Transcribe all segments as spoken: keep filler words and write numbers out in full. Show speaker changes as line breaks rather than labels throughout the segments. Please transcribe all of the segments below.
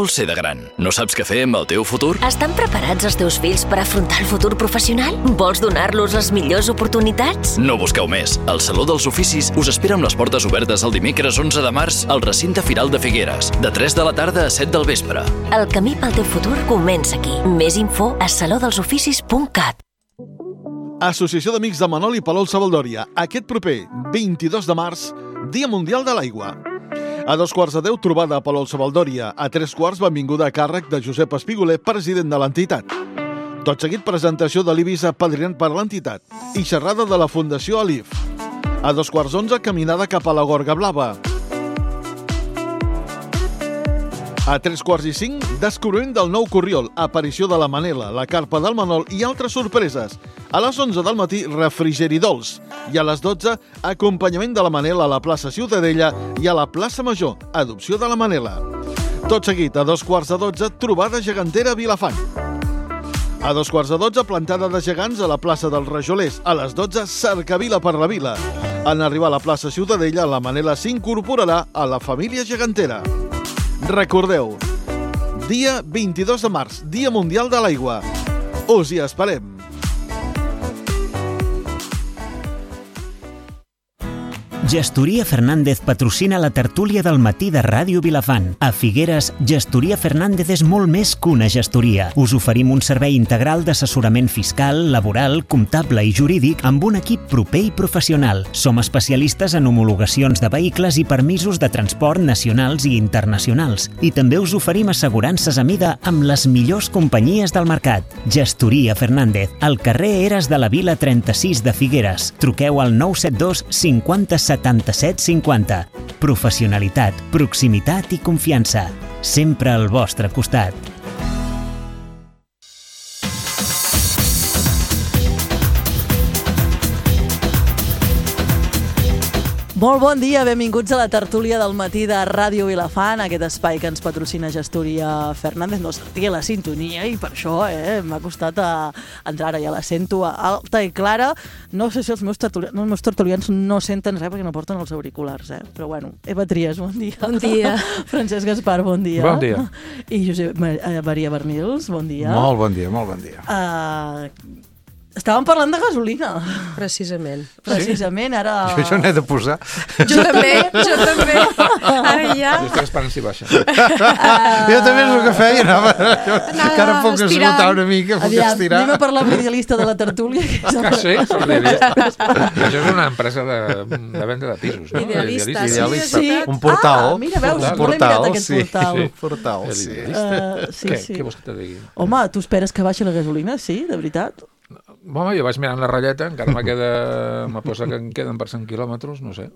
vols ser de gran? No saps què fer amb el teu futur?
Estan preparats els teus fills per afrontar el futur professional? Vols donar-los les millors oportunitats?
No busqueu més. El Saló dels Oficis us espera amb les portes obertes el dimecres onze de març al recinte Firal de Figueres, de tres de la tarda a set del vespre.
El camí pel teu futur comença aquí. Més info a saló dels oficis punt cat.
Associació d'Amics de Manol i Palol Sabaldòria. Aquest proper vint-i-dos de març, Dia Mundial de l'Aigua. A dos quarts de deu, trobada a Palol Sabaldòria. A tres quarts, benvinguda a càrrec de Josep Espigoler, president de l'entitat. Tot seguit, presentació de l'Ibis apadrinat per l'entitat i xerrada de la Fundació Alif. A dos quarts onze, caminada cap a la Gorga Blava. A tres quarts i cinc, descobriment del nou Corriol, aparició de la Manela, la carpa del Manol i altres sorpreses. A les onze del matí, refrigeri dolç. I a les dotze, acompanyament de la Manela a la plaça Ciutadella i a la plaça Major, adopció de la Manela. Tot seguit, a dos quarts de dotze, trobada gegantera a Vilafant. A dos quarts de dotze, plantada de gegants a la plaça dels Rajolers. A les dotze, cercavila per la vila. En arribar a la plaça Ciutadella, la Manela s'incorporarà a la família gegantera. Recordeu, dia vint-i-dos de març, Dia Mundial de l'Aigua. Us hi esperem.
Gestoria Fernández patrocina la tertúlia del matí de Ràdio Vilafant. A Figueres, Gestoria Fernández és molt més que una gestoria. Us oferim un servei integral d'assessorament fiscal, laboral, comptable i jurídic amb un equip proper i professional. Som especialistes en homologacions de vehicles i permisos de transport nacionals i internacionals. I també us oferim assegurances a mida amb les millors companyies del mercat. Gestoria Fernández, al carrer Eres de la Vila trenta-sis de Figueres. Truqueu al nou set dos cinquanta setanta-set cinquanta. Professionalitat, proximitat i confiança. Sempre al vostre costat.
Molt bon dia, benvinguts a la tertúlia del matí de Ràdio Vilafant, aquest espai que ens patrocina Gestoria Fernández. No sentia la sintonia i per això eh, m'ha costat a entrar ara, ja la sento alta i clara. No sé si els meus, tertulians, els meus tertulians no senten res perquè no porten els auriculars, eh? Però bueno, Eva Trias, bon dia.
Bon dia.
Francesc Gaspar, bon dia.
Bon dia.
I Josep Maria Bernils, bon dia.
Molt bon dia, molt bon dia.
Uh, Estàvem parlant de gasolina.
Precisament.
Precisament, ara...
Jo, jo n'he de posar.
Jo també, jo també. Ara ja...
Jo estic esperant si baixa. Uh... Jo també és el que feia, anava... Que ara puc esgotar una mica, puc
Aviam,
estirar.
Anem a parlar amb l'idealista de la tertúlia.
Ah, sí? Som l'idealista. Això és una empresa de, de venda de pisos, no?
Idealista,
Idealista.
sí.
Un portal.
Ah, mira, veus,
un
no l'he mirat, aquest
sí,
portal.
Sí, portal, sí.
Uh, sí,
què,
sí.
què vols que te digui?
Home, tu esperes que baixi la gasolina? Sí, de veritat?
Home, jo vaig mirant la ratlleta, encara me queda... Me posa que em queden per cent quilòmetres, no sé.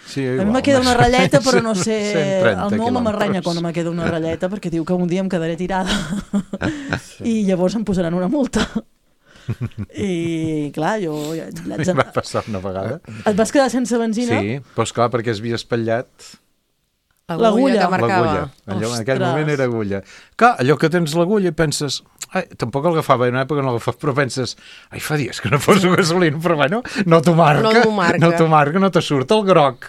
Sí, igual,
a mi me queda una ratlleta, però no sé... El meu home m'arranya quan me queda una ratlleta, perquè diu que un dia em quedaré tirada. Sí. I llavors em posaran una multa. I, clar, jo... Ja,
ja va passar una vegada.
Et vas quedar sense benzina?
Sí, però esclar, perquè es havia espatllat...
L'agulla
que marcava.
Allò, en aquell moment era agulla. Clar, allò que tens l'agulla i penses... Ai, tampoc el agafava, en una època no l'agafava, però penses, ai, fa dies que no poso gasolina, però bueno, no t'ho marca,
no t'ho marca,
no t'ho marca, no te surt el groc.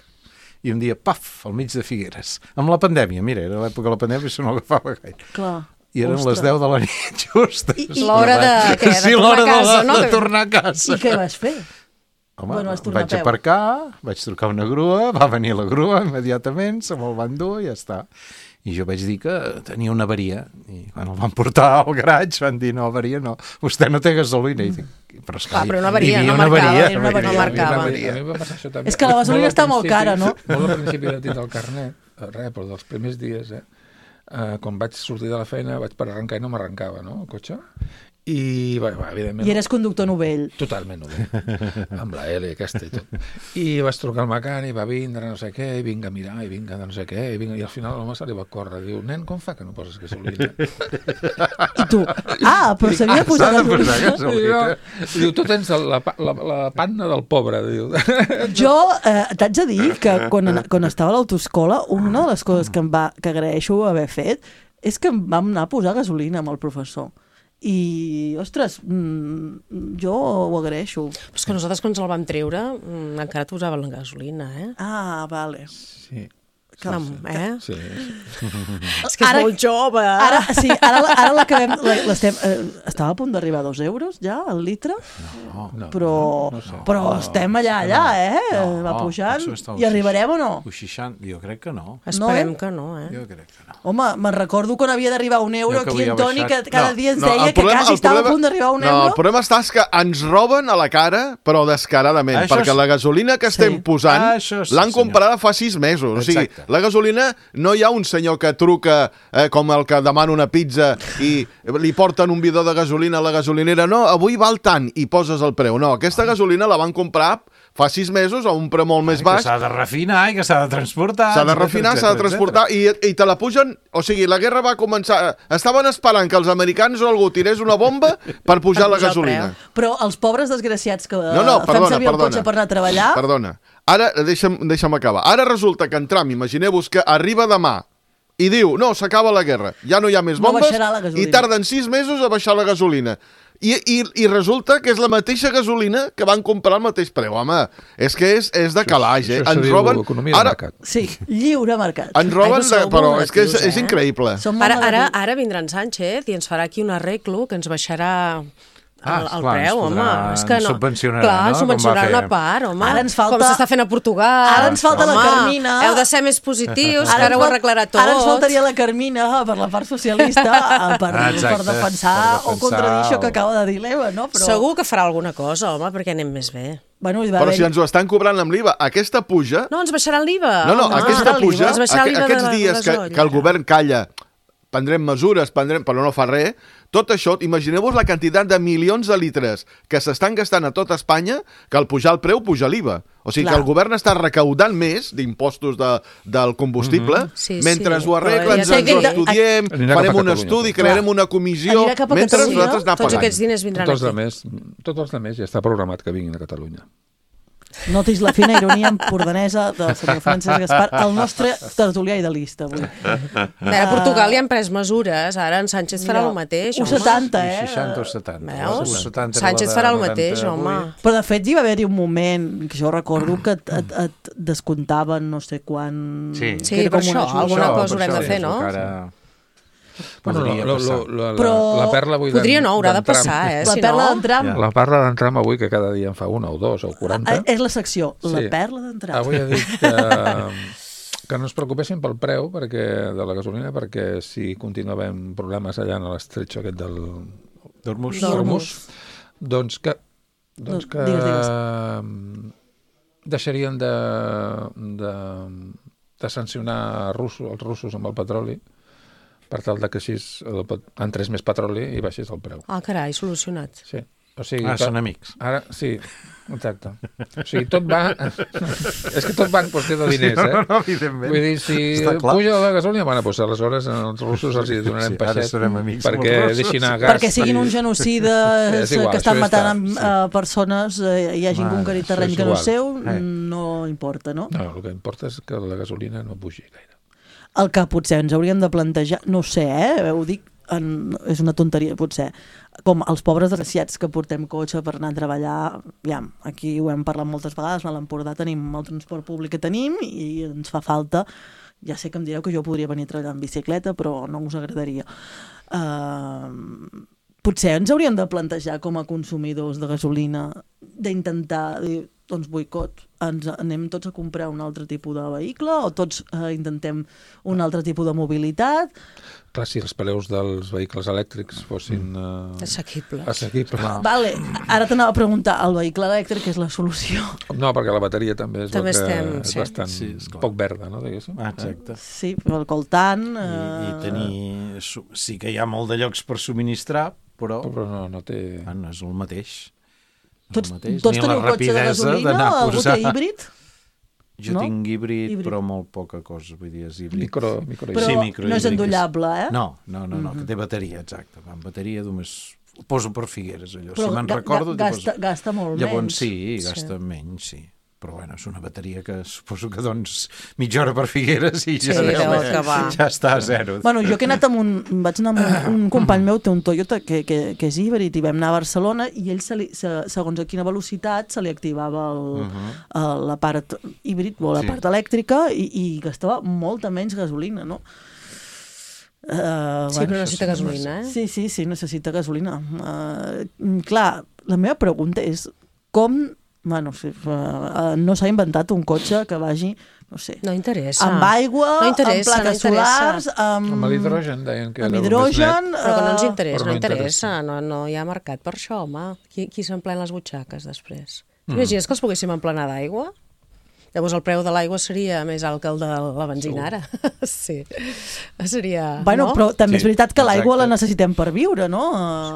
I un dia, paf, al mig de Figueres. Amb la pandèmia, mira, era l'època de la pandèmia, això no l'agafava gaire.
Clar.
I eren Ostres. les deu de la nit, justes.
I, i l'hora de, què, de
sí,
tornar a casa,
de,
no?
de tornar a casa.
I què vas fer?
Home,
bueno,
vaig aparcar, vaig trucar una grua, va venir la grua immediatament, se me'l van dur i ja està. I jo vaig dir que tenia una avaria. I quan el van portar al garatge van dir, no, avaria no, vostè no té gasolina. I dic, però, esclar,
ah, però una avaria, no
una
marcava.
Avaria,
no, no marcava.
A mi va passar això també.
És que la gasolina està molt cara, no?
Molt al principi de tindre el carnet, res, però dels primers dies, eh? Uh, quan vaig sortir de la feina vaig per arrencar i no m'arrencava, no, el cotxe. I, bé, bé, evidentment...
I eres conductor novell.
Totalment novell, amb la L aquesta i tot. I vaig trucar al mecànic, va vindre, no sé què, i vinga a mirar, i vinga de no sé què, i, vinga, i al final l'home se li va córrer, diu, nen, com fa que no poses gasolina?
I tu, ah, però s'havia posat gasolina.
Diu, tu tens la, la, la panna del pobre, diu.
Jo eh, t'haig de dir que quan, quan estava a l'autoescola, una de les coses que em va, que agraeixo haver fet és que em vam anar a posar gasolina amb el professor. I, ostres, mm, jo ho agraeixo.
Però és que nosaltres quan ens el vam treure mm, encara t'usaven la gasolina, eh?
Ah, vale.
Sí.
Eh?
Sí.
És que és
Ara-
molt jove.
Ara, sí, ara, ara l'acabem... la- l'estem- eh, Estava a punt d'arribar a dos euros, ja, el litre?
No,
No,
Però,
no sé.
però estem allà, allà, eh?
No,
Va pujant.
potser està
I arribarem o no?
U seixanta, jo crec que no.
Esperem
No, eh?
que no, eh?
Jo crec que no.
Home, me'n recordo quan havia d'arribar un euro
Jo que
aquí en
havia
Toni, que
baixat.
cada
No,
dia ens
no,
deia
el
que
problema-
quasi
el
estava a
problema-
punt d'arribar a un
No,
euro.
el problema està és que ens roben a la cara, però descaradament,
Això
perquè
és-
la gasolina que estem
Sí.
posant
Ah, això sí,
l'han
senyor.
comprada fa sis mesos. O sigui,
Exacte.
la gasolina no hi ha un senyor que truca eh, com el que demana una pizza i li porten un bidó de gasolina a la gasolinera. No, avui val tant i poses el preu. No, aquesta gasolina la van comprar fa sis mesos a un preu molt més
Que
baix.
s'ha de refinar i que s'ha de transportar.
S'ha de
etcètera,
refinar, s'ha de
etcètera,
transportar i, i te la pugen... O sigui, la guerra va començar... Estaven esperant que els americans o algú tirés una bomba per pujar
Per
la
pujar el
gasolina.
Però els pobres desgraciats que
No, no,
fem
perdona,
servir el
perdona.
cotxe per anar a treballar...
Perdona. Ara, deixa'm, deixa'm acabar. Ara resulta que en Trump, imagineu-vos que arriba demà i diu, no, s'acaba la guerra, ja no hi ha més
No
bombes,
baixarà la gasolina.
i tarden sis mesos a baixar la gasolina. I, i, I resulta que és la mateixa gasolina que van comprar al mateix preu. Home, és que és, és de calaix, eh?
Això se
Ens
diu
roben...
economia de
Ara,
mercat.
Sí, lliure mercat.
ens roben...
Ai,
De,
sou
però
molt
és que és,
negatius,
és
eh?
increïble.
Som molt
Ara, ara,
negatius.
ara vindrà en Sánchez i ens farà aquí un arreglo que ens baixarà el,
Ah,
el
esclar, ens
preu, home.
podrà-
És que no.
subvencionarà,
Clar,
no? Com
subvencionarà
va fer.
una part, home.
Ara ens falta-
Com s'està fent a Portugal.
Ara ens falta la
Home,
Carmina.
Heu de ser més positius, que
ens
ara ho
fal-
arreglarà tot.
Ara ens faltaria la Carmina per la part socialista eh, per,
Ah, exacte,
per, defensar
per defensar
o contradir això que
o-
acaba de dir l'Eva, no? Però,
Segur que farà alguna cosa, home, perquè anem més bé.
Bueno, hi va
Però
haver...
si ens ho estan cobrant amb l'I V A, aquesta puja...
No, ens baixaran l'I V A.
No, no,
home.
aquesta
l'I V A.
puja,
Ens baixarà
aqu
l'I V A de
aquests
la
dies que,
gasoil.
que el govern calla, prendrem mesures, prendrem, però no fa res, tot això, imagineu-vos la quantitat de milions de litres que s'estan gastant a tot Espanya, que al pujar el preu puja l'I V A. O sigui
Clar.
que el govern està recaudant més d'impostos de, del combustible,
Mm-hmm. Sí,
mentre
sí.
ho arregla,
Però
ens,
ja
ens
t'he
ho
dit-
estudiem,
Anirà cap a
farem un
Catalunya,
estudi,
tot.
crearem una comissió,
Anirà cap a
mentre
Catalunya.
nosaltres anar
Tots
pagant.
aquests diners vindran
Tots els
aquí.
altres, tots els altres ja està programat que vinguin a Catalunya.
Notis la fina ironia empordanesa del senyor Francesc Gaspar, el nostre tertulià idealista avui.
A Portugal ja han pres mesures, ara en Sánchez farà el mateix,
U
home.
setanta, eh?
seixanta o setanta.
Veus?
U setanta era la
Sánchez
de
farà el
noranta
mateix,
vuit.
home.
Però de fet hi va haver-hi un moment, que jo recordo, que et, et, et descomptaven no sé quan...
Sí.
que
Sí,
era
per
com una
això,
ajuda.
alguna
Això,
cosa
per
haurem de
això,
fer,
és
no?
el que Ara...
Bueno,
Podria
lo,
passar.
lo, lo, la,
Però-
la perla avui
Podria
d'en-
no, haurà de
d'en Trump.
passar, eh?
La
si
perla
no...
d'en Trump,
Ja.
La perla d'en Trump avui, que cada dia en fa una o dos o quaranta.
eh, és la secció, la
Sí.
perla d'en Trump.
Avui ha dit que, que no es preocupessin pel preu perquè, de la gasolina, perquè si continua havent problemes allà en l'estretxo aquest del
Dormus.
Hormuz, doncs que, doncs que
Digues, digues.
mm, deixarien de, de, de sancionar russos, els russos amb el petroli per tal de que així el, pet- entrés més petroli i baixés el preu.
Ah, carai, solucionat.
Sí. O sigui,
Ah,
que-
són amics.
Ara, sí, exacte. O sigui, tot va... És que tot va en qüestió de diners, eh?
No, no, evidentment.
Vull dir, si
Està clar.
puja la gasolina, bueno, doncs aleshores als russos els hi donarem
Sí, ara
peixet
serem amics amb
perquè
els russos.
deixin anar gas.
Perquè siguin
i-
uns genocides
Sí, és igual,
que estan
això ja
matant
està,
amb,
sí.
eh, persones eh, i hagin
Mare,
conquerit
això
terreny
és
que no és
igual.
seu,
Eh.
no importa, no?
No, el que importa és que la gasolina no pugi gaire.
El que potser ens hauríem de plantejar, no ho sé, eh, ho dic, en, és una tonteria potser, com els pobres desgraciats que portem cotxe per anar a treballar, ja, aquí ho hem parlat moltes vegades, a l'Empordà tenim el transport públic que tenim i ens fa falta, ja sé que em direu que jo podria venir a treballar en bicicleta, però no us agradaria. Uh, potser ens hauríem de plantejar com a consumidors de gasolina d'intentar dir, doncs boicot, ens anem tots a comprar un altre tipus de vehicle o tots eh, intentem un altre tipus de mobilitat.
Clar, si els preus dels vehicles elèctrics fossin uh,
Assequibles.
assequibles.
Vale, ara t'anava a preguntar, el vehicle elèctric és la solució?
No, perquè la bateria també és,
També
el que
estem,
és
sí.
bastant
Sí, esclar.
poc verda, no? Diguéssim.
Ah, exacte.
Sí, el coltant...
I,
Eh...
i tenir... su- Sí que hi ha molt de llocs per subministrar, però
Però no, no té...
ah, no és el mateix. No
Tots,
és el mateix.
tots
Ni la
teniu cotxe de
rapidesa
gasolina?
d'anar a
Algú
posar-
té híbrid?
Jo
no?
tinc híbrid,
Híbrid.
però molt poca cosa, vull dir, és híbrid.
Micro, micro
Però
Sí,
no és
microhíbrids.
endollable, eh?
No, no, no, no, que té bateria, exacte. Va amb bateria només... Ho poso per Figueres, allò.
Però
si me'n
ga-
recordo...
ga-
t'hi
gasta,
poso-
gasta molt
Llavors
menys.
sí, gasta menys, sí. però bueno, és una bateria que suposo que doncs mitja hora per Figueres i ja,
Sí,
ja,
deu acabar.
ja està a zero.
Bueno, jo que he anat amb un... Vaig anar amb un, un company meu, té un Toyota que, que, que és híbrid, i vam anar a Barcelona, i ell, se li, se, segons a quina velocitat, se li activava el, uh-huh. el, la part híbrid o la
Sí.
part elèctrica, i, i gastava molta menys gasolina, no? Uh,
Sí, però necessita gasolina, eh?
Sí, sí, sí, necessita gasolina. Uh, clar, la meva pregunta és com... Bueno, sí, uh, no s'ha inventat un cotxe que vagi, no sé,
No interessa.
amb aigua,
No
amb
interessa,
plaques
no interessa.
solars, amb,
Amb l'hidrogen, deien que
amb
era el més
hidrogen...
net.
Però que no ens
eh,
interessa,
però
no
no
interessa. No, no hi ha mercat per això, home. Qui, qui s'emplena les butxaques després? T'imagines que els poguéssim emplenar d'aigua? Llavors el preu de l'aigua seria més alt que el de la benzina ara. Sí. Seria...
Bueno,
no?
però també
Sí,
és veritat que l'aigua
exacte.
la necessitem per viure, no?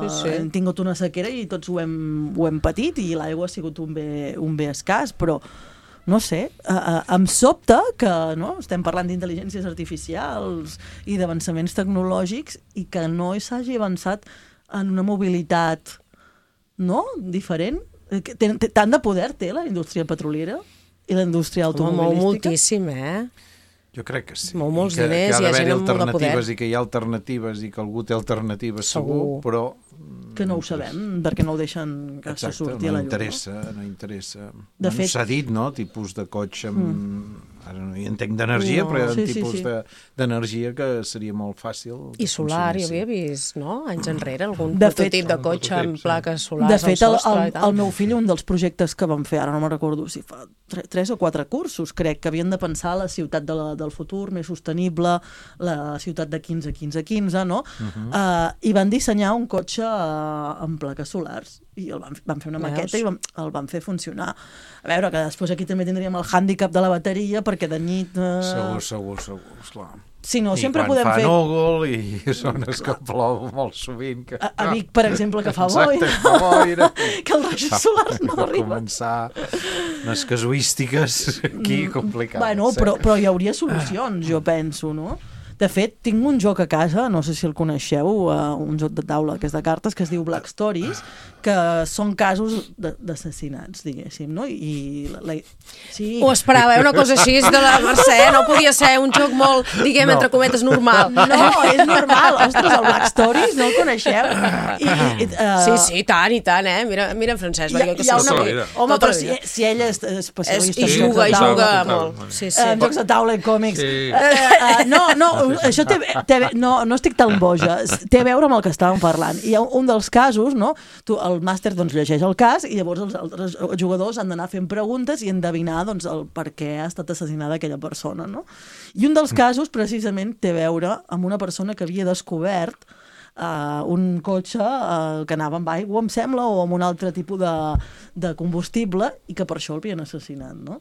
Sí, sí.
Hem tingut una sequera i tots ho hem, ho hem patit, i l'aigua ha sigut un bé, un bé escàs, però no sé, uh, uh, em sobta que no, estem parlant d'intel·ligències artificials i d'avançaments tecnològics i que no s'hagi avançat en una mobilitat, no?, diferent. Eh, que té- té- Tant de poder té la indústria petroliera i la indústria
Home, mou
automobilística.
moltíssim, eh?
Jo crec que sí.
Mou molts
I que,
diners,
que ha
hi ha
d'haver-hi
gent amb molt de
alternatives
poder.
i que hi ha alternatives i que algú té alternatives segur,
Segur.
però...
Que no ho sabem, perquè no ho deixen que se
Exacte,
surti
no
a la llum.
interessa, no interessa.
De
Bueno,
fet-
s'ha dit, no?, tipus de cotxe amb... Mm. Ara no hi entenc d'energia,
No.
però hi ha
Sí,
un
sí,
tipus
sí.
de- d'energia que seria molt fàcil.
I
de
solar, hi
consumir,
havia vist, no? Anys enrere, algun
De fet-
prototip de cotxe amb
prototip, sí.
plaques solars
De fet, el,
al sostre
el,
i tal.
el meu fill, un dels projectes que vam fer, ara no me'n recordo si fa tre, tres o quatre cursos, crec que havien de pensar la ciutat de la, del futur, més sostenible, la ciutat de quinze quinze quinze, no? Uh -huh. uh, I van dissenyar un cotxe uh, amb plaques solars, i el van, van fer una
Veus?
maqueta i van, el van fer funcionar. A veure, que després aquí també tindríem el hàndicap de la bateria, perquè de nit... Uh,
Segur, segur, segur, esclar.
Si no,
I
sempre
quan
podem
fa
fer...
núvol i zones que plou molt sovint. Que...
A, a Vic, per exemple, que fa
Exacte,
boira,
fa boira.
que els rajos solars no
Va
arriben.
començar unes casuístiques aquí complicades.
Bueno,
eh?
però, però hi hauria solucions, jo penso, no? De fet, tinc un joc a casa, no sé si el coneixeu, uh, un joc de taula que és de cartes, que es diu Black Stories, que són casos de- d'assassinats, diguéssim, no? I la, la... Sí.
Ho esperava, eh? Una cosa així de la Mercè, no podia ser un joc molt, diguem,
No.
entre cometes, normal.
No, és normal. Ostres, el Black Stories, no el coneixeu? I, i, uh,
Sí, sí, i tant, i tant, eh? Mira, mira en Francesc,
Hi ha,
perquè jo que
hi ha
soc
una...
tota la vida.
Home,
Tota
però
la
si,
vida.
si ell és
És,
especialista
I
en
juga,
jocs
i
de
juga
taula,
total.
molt. Sí,
eh,
sí.
en jocs de taula i còmics.
Sí.
Uh, uh, no, no, això té, té, no, no estic tan boja. Té a veure amb el que estàvem parlant. Hi ha un dels casos, no? Tu, el màster doncs, llegeix el cas i llavors els altres jugadors han d'anar fent preguntes i endevinar doncs, el per què ha estat assassinada aquella persona, no? I un dels casos, precisament, té a veure amb una persona que havia descobert uh, un cotxe uh, que anava amb aigua, em sembla, o amb un altre tipus de, de combustible, i que per això l'havien assassinat, no?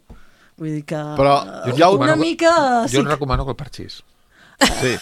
Vull dir que...
Però
uh,
ja ho-
una mica...
Jo et recomano que el parxís.
Sí.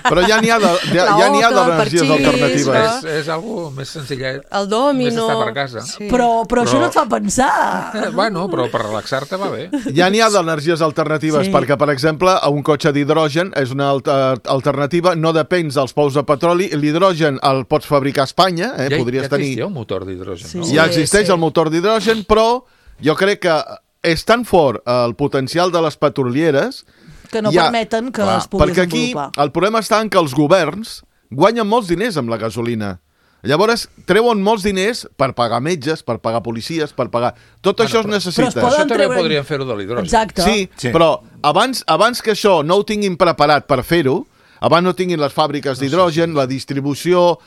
Però ja n'hi ha de- ja, ja n'hi ha
L'oca, el
d'energies
parxís,
alternatives.
no?
És, és algo més senzillet.
El domino.
Més estar per casa.
Sí.
Però, però, això
Però-
no et fa pensar.
Eh, bueno, però per relaxar-te va bé.
Ja n'hi ha d'energies alternatives,
Sí.
perquè, per exemple, a un cotxe d'hidrogen és una alta alternativa, no depens dels pous de petroli, l'hidrogen el pots fabricar a Espanya, eh?
Ja,
podries
ja
tenir...
existia un motor d'hidrogen,
Sí,
no?
sí.
Ja existeix
sí.
el motor d'hidrogen, però jo crec que és tan fort el potencial de les petrolieres
Que no
ja,
permeten que
clar,
es pugui
perquè aquí
desenvolupar.
el problema està en que els governs guanyen molts diners amb la gasolina. Llavors treuen molts diners per pagar metges, per pagar policies, per pagar... Tot
Bueno,
això es
però-
necessita.
Però es poden
Això també
treure-
podrien fer-ho de l'hidrogen.
Exacte.
Sí,
Sí.
però abans, abans que això no ho tinguin preparat per fer-ho, abans no tinguin les fàbriques d'hidrogen, la distribució,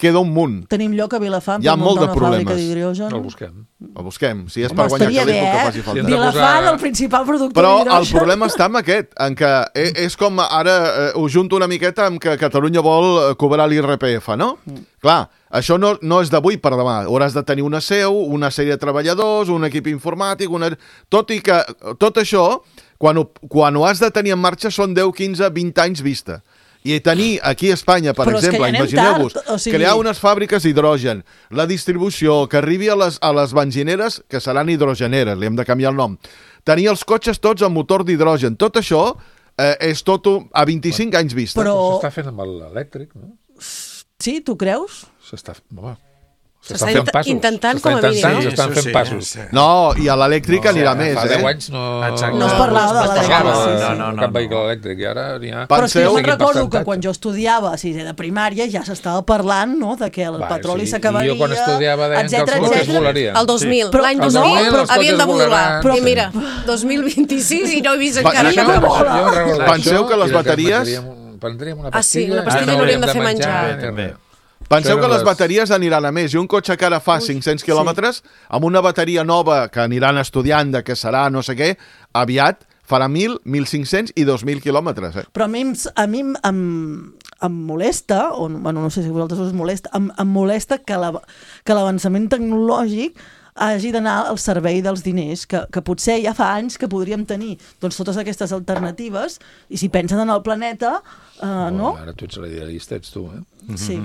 queda un munt.
Tenim lloc a Vilafant
Hi ha
per
molt
muntar
de
una fàbrica
problemes.
d'hidrogen.
El busquem.
Ho busquem. Si és
Home,
per guanyar
estaria bé,
calés, el que
eh?
faci falta.
Hem de
Vilafant,
posar-
el principal productor
Però el
d'hidrogen.
problema està en aquest, en que e- és com ara, eh, ho junto una miqueta amb que Catalunya vol eh, cobrar l'I R P F, no? Mm. Clar, això no, no és d'avui per demà. Hauràs de tenir una seu, una sèrie de treballadors, un equip informàtic, una... tot i que tot això, quan ho, quan ho has de tenir en marxa, són deu, quinze, vint anys vista. I tenir aquí a Espanya, per
Però és que
exemple,
ja anem
imagineu-vos,
tard, o sigui-
crear unes fàbriques d'hidrogen, la distribució, que arribi a les, a les benzineres, que seran hidrogeneres, li hem de canviar el nom, tenir els cotxes tots amb motor d'hidrogen, tot això eh, és tot un, a vint-i-cinc anys vista.
Però-
S'està fent amb l'elèctric, no?
Sí, tu creus?
S'està... Home, S'estan fent passos.
Intentant,
S'estan
com a mínim.
intentant, S'estan
Sí,
fent
sí,
passos.
sí.
No, i a l'elèctric anirà més,
Fa
eh?
deu anys no...
Exacte.
No es parlava de
no es
l'elèctric,
parlava
sí,
de-
sí.
No, no, no,
cap
no.
vehicle elèctric, i ara n'hi ha...
Però és que jo
Penseu-
me'n recordo que
Seguint
quan jo estudiava a sisè de primària ja s'estava parlant, no?, de que el
Va,
petroli
sí.
s'acabaria,
I jo quan estudiava deien que els
etcètera,
cotxes
etcètera.
volarien.
El dos mil,
Però-
l'any
no,
dos mil,
però-
havien de
els
volar.
cotxes
I mira, dos mil vint-i-sis i no he vist
Va,
encara
això-
que vola.
Jo recordo
Penseu
això,
que les
i de
bateries-
prendríem un- Prendríem una
Ah, sí,
pastilla...
una pastilla
i no
n'hauríem de
hauríem
fer menjar.
ni
També.
res.
Penseu
Això
que
eren
les
les-
bateries aniran a més. I un cotxe que ara fa cinc-cents quilòmetres, amb una bateria nova que aniran estudiant de què serà, no sé què, aviat farà mil, mil cinc-cents i dos mil quilòmetres. Eh?
Però a mi, em- a mi em, em, em molesta, o bueno, no sé si a vosaltres us molesta, em, em molesta que la- que l'avançament tecnològic hagi d'anar al servei dels diners, que, que potser ja fa anys que podríem tenir doncs, totes aquestes alternatives, i si pensen en el planeta, uh, no?
Ara tu ets l'idealista, ets tu, eh?
Sí,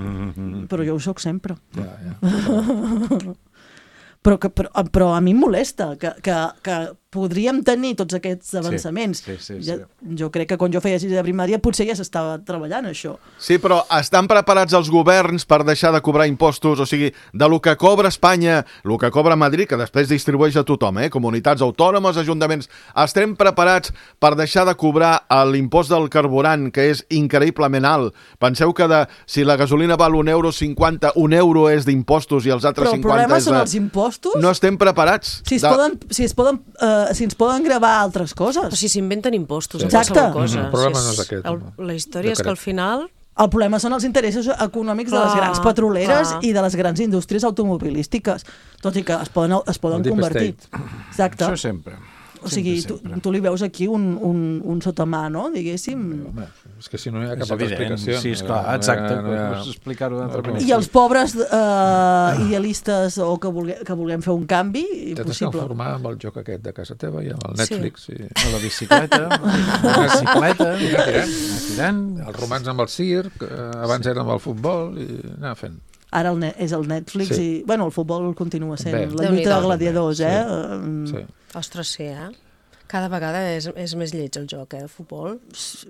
però jo ho sóc sempre.
Ja, ja.
Però, que, però, però a mi em molesta que, que, que podríem tenir tots aquests avançaments.
sí, sí, sí.
Ja, jo crec que quan jo feia sisè de primària potser ja s'estava treballant això.
Sí, però estan preparats els governs per deixar de cobrar impostos? O sigui, de lo que cobra Espanya, el que cobra Madrid, que després distribueix a tothom, eh? Comunitats autònomes, ajuntaments, estem preparats per deixar de cobrar l'impost del carburant, que és increïblement alt? Penseu que de, si la gasolina val un euro cinquanta, un euro és d'impostos i els altres
Però el
cinquanta
problema
és
són
de...
els impostos?
No estem preparats.
Si es,
De-
poden, si, es poden, uh, si ens poden gravar altres coses.
O si s'inventen impostos
Sí.
a qualsevol
Exacte.
cosa.
El problema
Si
no és aquest,
El,
home.
la història
Jo
és que
crec.
al final...
El problema són els interessos econòmics de les
Clar,
grans petroleres
clar.
i de les grans indústries automobilístiques, tot i que es poden, es poden
El deep
convertir.
state.
Exacte.
Això sempre.
O sigui, tu,
sempre.
tu li veus aquí un, un, un sotamà, no?, diguéssim.
Home, és que si no hi ha
És
cap altra
evident,
explicació.
sí, esclar,
No hi ha-
exacte,
no hi ha-
pots explicar-ho d'altra
no, no.
manera.
I els pobres eh, idealistes o que, vulgue, que vulguem fer un canvi,
T'has de
impossible.
conformar amb el joc aquest de casa teva i amb el Netflix. I...
A la bicicleta, a la bicicleta,
I anar tirant.
anar tirant.
Els romans amb el circ, eh, abans era amb el futbol, i anar fent.
Ara el ne és el Netflix
Sí.
i, bueno, el futbol continua sent
Bé.
la
Déu-n'hi-do.
lluita de gladiadors, eh?
Sí.
Eh,
Ostres, sí, eh? Cada vegada és, és més lleig el joc, eh, el futbol.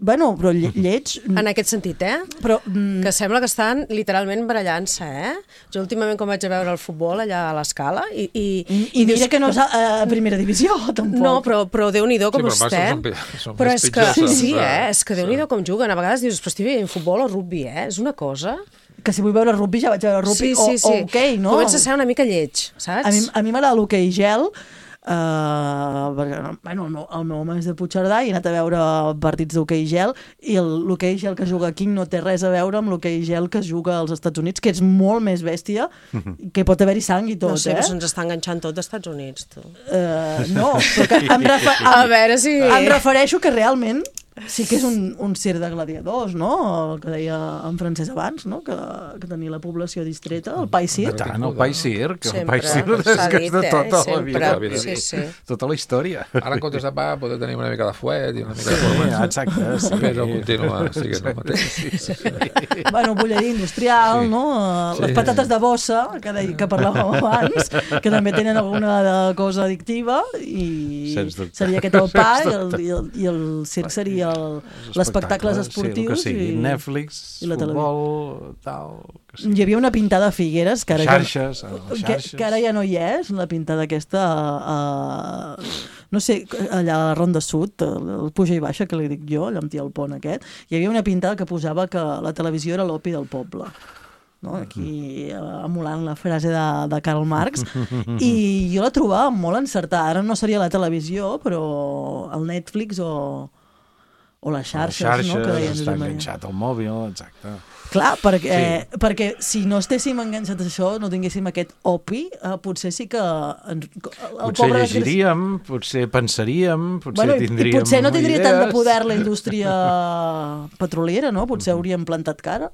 Bueno, però lle lleig...
En aquest sentit, eh?
Però, mm,
Que sembla que estan literalment barallant-se, eh? Jo últimament quan vaig a veure el futbol allà a l'Escala i... I,
I, i mira que no és a, a primera divisió, tampoc.
No, però, però Déu-n'hi-do com
Sí, però
estem.
són pi- són
Però
més
és que,
pitjors,
sí,
doncs,
eh?
eh?
És que Déu-n'hi-do com juguen. A vegades dius, però estic veient futbol o rugbi, eh? És una cosa...
Que si vull veure rugby ja vaig a veure rugby
sí, sí, sí.
o, o hoquei, no?
Comença a ser una mica lleig, saps?
A mi, a mi m'agrada l'hoquei gel, Uh, perquè, bueno, el meu, el meu home és de Puigcerdà i he anat a veure partits d'hoquei gel i el- l'hoquei gel que juga aquí no té res a veure amb l'hoquei gel que juga als Estats Units, que és molt més bèstia, que pot haver-hi sang i tot,
No sé,
eh?
però se'ns està enganxant tot dels Estats Units, tu.
Uh, no, però que em, refer em,
A veure si...
em refereixo que realment sí que és un, un circ de gladiadors, no? El que deia en Francesc abans, no? Que, que tenia la població distreta, el Pai Circ.
Tant, el Pai Circ, el
Sempre,
Pai Circ és
s'ha
que és de
dit, eh?
tota la
Sempre,
vida.
sí, sí.
Tota la història.
Ara, en comptes de pa, poder tenir una mica de fuet i una mica de
Sí,
formatge.
exacte, sí.
Però continua siguent el mateix.
Sí, sí, sí.
Bueno, bulleria industrial,
Sí.
no? Les
Sí.
patates de bossa, que, de, que parlàvem abans, que també tenen alguna de cosa addictiva, i
Sens dubte.
seria aquest el pa,
Sens
i el, i el, i el circ seria el, els espectacles esportius.
Sí, el que sigui,
i,
Netflix,
i la
futbol, tal... Que sí.
Hi havia una pintada a Figueres, que ara,
Xarxes,
ja,
a les
que,
xarxes.
que ara ja no hi és, la pintada aquesta, a, no sé, allà a la Ronda Sud, el Puja i Baixa, que li dic jo, allà amb tia el pont aquest, hi havia una pintada que posava que la televisió era l'opi del poble. No? Aquí eh, emulant la frase de, de Karl Marx, i jo la trobava molt encertada. Ara no seria la televisió, però el Netflix o, o les xarxes,
les xarxes,
no? Que deien
està
Josep Maria.
enganxat al mòbil, exacte.
Clar, perquè,
Sí.
eh, perquè si no estéssim enganxats a això, no tinguéssim aquest opi, eh, potser sí que... En, el
Potser
pobre
llegiríem, potser pensaríem, potser
Bueno, i, i
tindríem
potser no tindria tant de
idees.
poder la indústria petroliera, no? Potser hauríem plantat cara.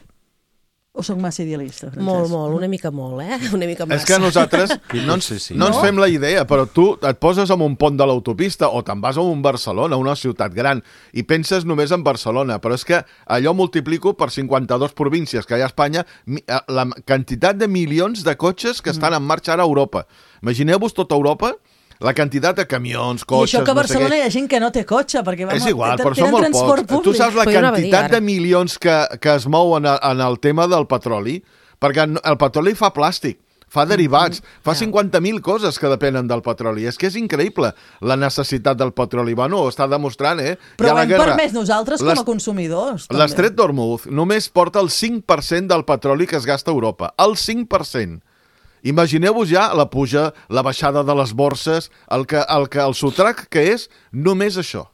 O soc massa idealista, Francesc?
Molt, molt, una mica molt, eh? Una mica massa.
És que nosaltres no ens,
Sí, sí.
no ens
No?
fem la idea, però tu et poses en un pont de l'autopista o te'n vas a un Barcelona, una ciutat gran, i penses només en Barcelona, però és que allò multiplico per cinquanta-dues províncies que hi ha a Espanya, mi- eh, la quantitat de milions de cotxes que estan en marxa ara a Europa. Imagineu-vos tota Europa, la quantitat de camions,
I
cotxes...
això que a
no sé
Barcelona
què.
hi ha gent que no té cotxe, perquè
És
vamos,
igual,
te-
però són
tenen
molt
transport
pocs. Tu saps la
Però jo anava a dir
quantitat
ara.
de milions que, que es mouen en, en el tema del petroli? Perquè el petroli fa plàstic, fa derivats,
Mm-hmm.
fa
Ja.
cinquanta mil coses que depenen del petroli. És que és increïble la necessitat del petroli. Bueno, ho està demostrant, eh?
Però
Hi ha
ho
la
hem
guerra.
permès nosaltres com a
L'est-
consumidors. també.
L'estret d'Hormuz només porta el cinc per cent del petroli que es gasta a Europa. El cinc per cent. Imagineu-vos ja la puja, la baixada de les borses, el, que, el, que, el sotrac que és només això.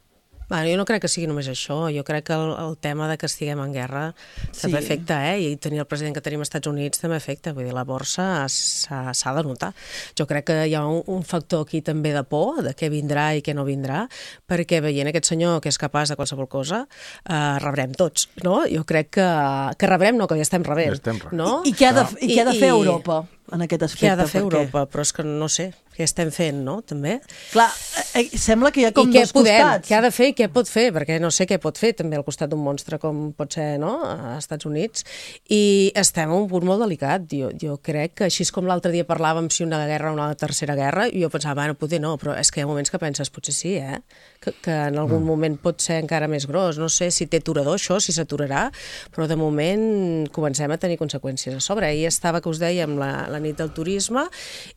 Bueno, jo no crec que sigui només això. Jo crec que el, el tema de que estiguem en guerra també
Sí.
afecta, eh? I tenir el president que tenim als Estats Units també afecta. Vull dir, la borsa s'ha s'ha de notar. Jo crec que hi ha un, un factor aquí també de por, de què vindrà i què no vindrà, perquè veient aquest senyor que és capaç de qualsevol cosa, eh, rebrem tots, no? Jo crec que, que rebrem, no, que ja estem rebent.
Ja estem rebent.
No?
I, i, què ha de, i què ha de fer
I-
Europa en aquest aspecte?
Què ha de fer
perquè,
Europa? Però és que no sé, què estem fent, no? També.
Clar, eh, sembla que hi ha com
I què
dos
podem,
costats.
què ha de fer i què pot fer, perquè no sé què pot fer també al costat d'un monstre com pot ser, no?, als Estats Units. I estem en un punt molt delicat. Jo, jo crec que així com l'altre dia parlàvem si una guerra o una tercera guerra, jo pensava, bueno, potser no, però és que hi ha moments que penses, potser sí, eh? Que, que en algun mm. moment pot ser encara més gros. No sé si té aturador això, si s'aturarà, però de moment comencem a tenir conseqüències a sobre. Ahir estava, que us dèiem, la, la nit del turisme,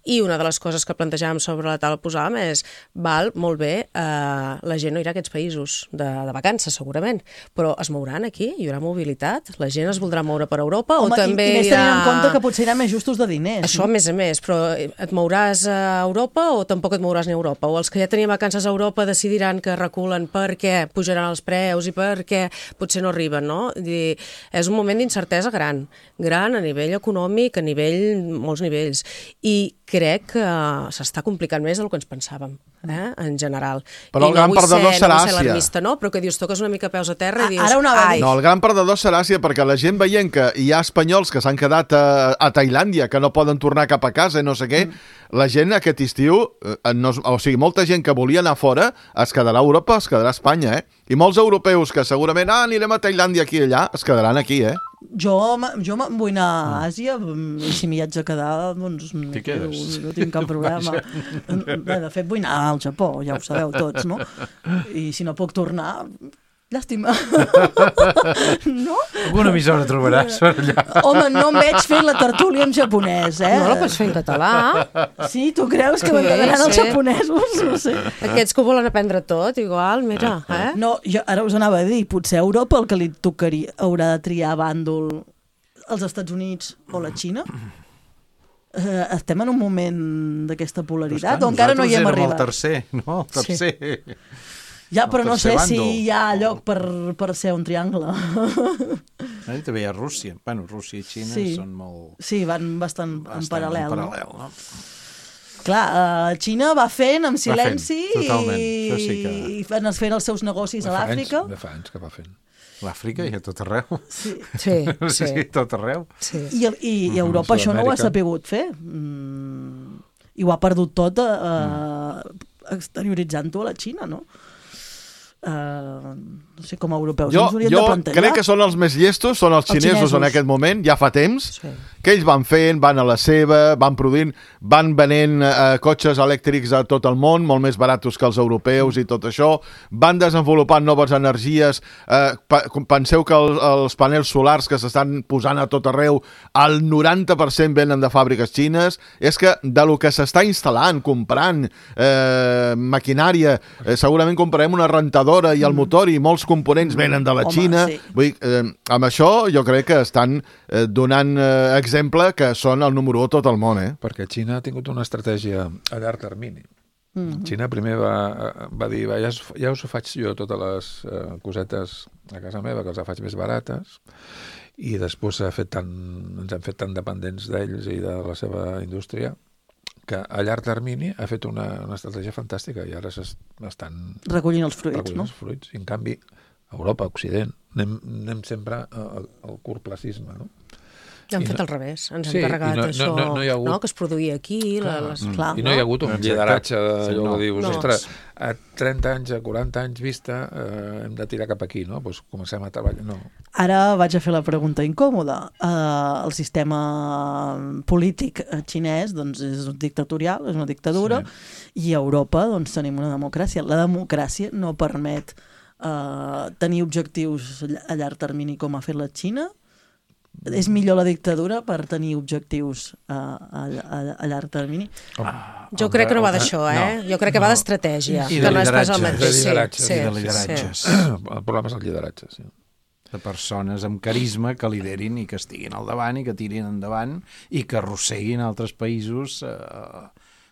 i una de les coses que plantejàvem sobre la taula posàvem és, val, molt bé, eh, la gent no irà a aquests països de, de vacances, segurament, però es mouran aquí, hi haurà mobilitat, la gent es voldrà moure per Europa.
Home,
o també
i, i més
irà...
tenint en compte que potser hi ha més justos de diners.
Això, a més a més, però et mouràs a Europa o tampoc et mouràs ni a Europa? O els que ja tenien vacances a Europa decidiran que reculen perquè pujaran els preus i perquè potser no arriben, no? Dir, és un moment d'incertesa gran, gran a nivell econòmic, a nivell, molts nivells, i crec que s'està complicant més del que ens pensàvem, eh? En general.
Però
I
el gran
no vull
perdedor
ser,
serà
no vull ser
Àsia.
alarmista, no? Però que dius, toques una mica peus a terra i dius,
Ara ho anava a
ai,
dir.
No, el gran perdedor serà Àsia, perquè la gent veient que hi ha espanyols que s'han quedat a, a Tailàndia, que no poden tornar cap a casa i no sé què, mm. la gent aquest estiu, eh, no, o sigui, molta gent que volia anar fora es quedarà a Europa, es quedarà a Espanya, eh? I molts europeus que segurament, ah, anirem a Tailàndia aquí i allà, es quedaran aquí, eh?
Jo, m- jo me'n vull anar a Àsia i si m'hi haig de quedar, doncs no,
T'hi quedes.
no tinc cap problema. Bé, de fet, vull anar al Japó, ja ho sabeu tots, no? I si no puc tornar, llàstima. No?
Alguna emissora trobaràs per allà.
Home, no em veig fent la tertúlia en japonès, eh?
no la pots fer en català.
Sí, tu creus que m'agradaran els
sí.
japonesos? No sé.
Aquests que ho volen aprendre tot, igual, mira, eh?
No, jo ara us anava a dir, potser a Europa el que li tocaria haurà de triar bàndol els Estats Units o la Xina? Eh, estem en un moment d'aquesta polaritat o encara no hi hem arribat?
El tercer, no? El tercer. Sí.
Ja, però
el
no sé
tercer
si
bàndol.
hi ha lloc per, per ser un triangle.
Ah, i també hi ha Rússia. Bueno, Rússia i Xina
Sí.
són molt...
Sí, van bastant,
bastant
en paral·lel.
En
no?
paral·lel, no?
Clar, uh, Xina va fent amb silenci
fent, totalment.
i,
Això sí que-
i van fent els seus negocis a
De fa
l'Àfrica.
anys- De fa anys que va fent.
L'Àfrica hi ha tot arreu.
Sí.
Sí,
Sí,
sí.
tot arreu.
sí.
I, i, i Europa això no ho ha
Sud-amèrica.
sapigut fer. Mm, I ho ha perdut tot eh, mm. exterioritzant-ho a la Xina, no? Uh, no sé, com a europeus
Jo,
ens hauríem
jo
de plantejar.
crec que són els més llestos, són els
Els
xinesos,
xinesos.
en aquest moment, ja fa temps,
Sí.
que ells van fent, van a la seva, van produint, van venent eh, cotxes elèctrics a tot el món, molt més baratos que els europeus i tot això, van desenvolupant noves energies, eh, pa, penseu que el, els panels solars que s'estan posant a tot arreu, el noranta per cent venen de fàbriques xines, és que de lo que s'està instal·lant, comprant eh, maquinària, eh, segurament comprarem una rentadora i el motor i molts components venen de la
Home,
Xina.
sí.
Vull dir, eh, amb això jo crec que estan eh, donant eh, exemple que són el número u a tot el món, eh?
Perquè Xina ha tingut una estratègia a llarg termini.
Mm -hmm.
Xina primer va, va dir, va, ja, us, ja us ho faig jo totes les eh, cosetes a casa meva, que els faig més barates, i després ha fet tan, ens hem fet tan dependents d'ells i de la seva indústria que a llarg termini ha fet una, una estratègia fantàstica i ara estan
Recollint els fruits,
recollint
no?
els fruits. I en canvi, a Europa, a Occident, anem, anem sempre al, al curtplacisme, no?
Hem
I
fet
no-
al revés, ens
Sí,
hem
i
carregat
no- no-
això,
no- no hi ha hagut-
no? Que es produïa aquí, la, les...
Clar,
I no hi ha hagut un
Exacte.
lideratge
Sí,
d'allò
no.
que dius,
No.
ostres, a trenta anys, a quaranta anys vista, eh, hem de tirar cap aquí, no? Doncs comencem a treballar. No.
Ara vaig a fer la pregunta incòmoda. Uh, el sistema polític xinès doncs, és dictatorial, és una dictadura, sí. I a Europa doncs, tenim una democràcia. La democràcia no permet uh, tenir objectius a llarg termini com ha fet la Xina? És millor la dictadura per tenir objectius a, a, a, a llarg termini?
Ah, jo crec que no va d'això, eh? No, jo crec que no. va d'estratègia.
I de lideratge.
De lideratge.
Sí,
I de lideratges.
Sí. El problema és el lideratge, sí.
De persones amb carisma que liderin i que estiguin al davant i que tirin endavant i que arrosseguin altres països... Eh,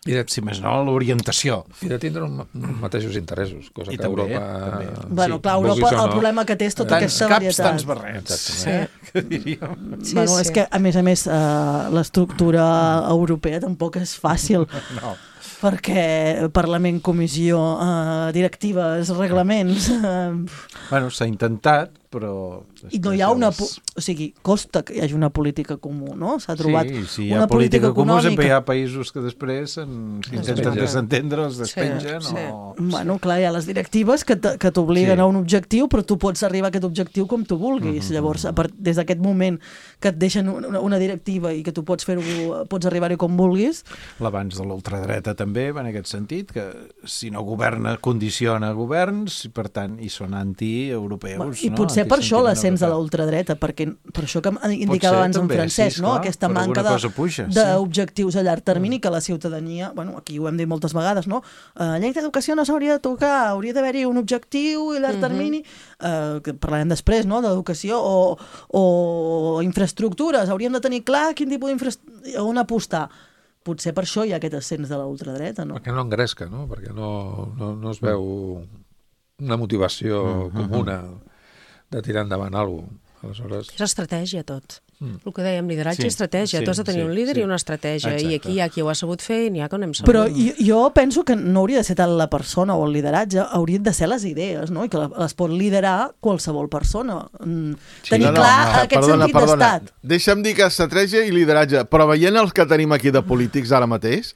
I de, si més no, l'orientació.
I de tindre uns mateixos interessos, cosa I que també, Europa...
També.
Bueno, sí, clar, Europa, el problema que té és tota
tants
aquesta
caps,
varietat.
Tants barrets.
Sí.
Que diríem.
Sí, bueno, sí. És que, a més a més, uh, l'estructura europea tampoc és fàcil.
No.
Perquè Parlament, Comissió, uh, directives, reglaments... Uh...
Bueno, s'ha intentat, però...
I no hi ha una... Les... O sigui, costa que hi hagi una política comú, no? S'ha trobat
sí, si hi ha
una política,
política comú,
econòmica...
sempre hi ha països que després s'intenten desentendre, els despengen
sí, sí.
o...
Bueno, clar, hi ha les directives que t'obliguen sí. a un objectiu, però tu pots arribar a aquest objectiu com tu vulguis. Mm-hmm. Llavors, a part, des d'aquest moment que et deixen una, una directiva i que tu pots fer-ho, pots arribar-hi com vulguis...
L'abans de l'ultradreta també va en aquest sentit, que si no governa, condiciona governs, i per tant, hi són anti-europeus.
Bueno, I
no?
potser per això l'ascens de la ultradreta, perquè per això que indicava abans en Francesc,
sí,
no?
Clar,
aquesta manca d'objectius sí. a llarg termini que la ciutadania, bueno, aquí ho hem dit moltes vegades, no? Uh, llei d'educació no s'hauria de tocar, hauria d'haver-hi un objectiu a llarg uh-huh. termini, uh, que parlarem després, no?, d'educació, o, o infraestructures, hauríem de tenir clar quin tipus d'infraestructura, on apostar. Potser per això hi ha aquest ascens de la ultradreta, no?
Perquè no engresca, no? Perquè no, no, no es veu una motivació uh-huh. comuna de tirar endavant alguna cosa. Aleshores...
És estratègia, tot.
Mm.
El que dèiem, lideratge
sí,
i estratègia.
sí,
tu has de tenir
sí,
un líder
sí.
i una estratègia.
Exacte.
I aquí hi ha qui ho ha sabut fer i n'hi ha que no hem sabut.
Però jo, jo penso que no hauria de ser tant la persona o el lideratge, haurien de ser les idees, no? I que les pot liderar qualsevol persona. Sí, tenir
no, no,
clar
no,
aquest
perdona,
sentit
perdona.
d'estat.
Deixa'm dir que estratègia i lideratge, però veient els que tenim aquí de polítics ara mateix,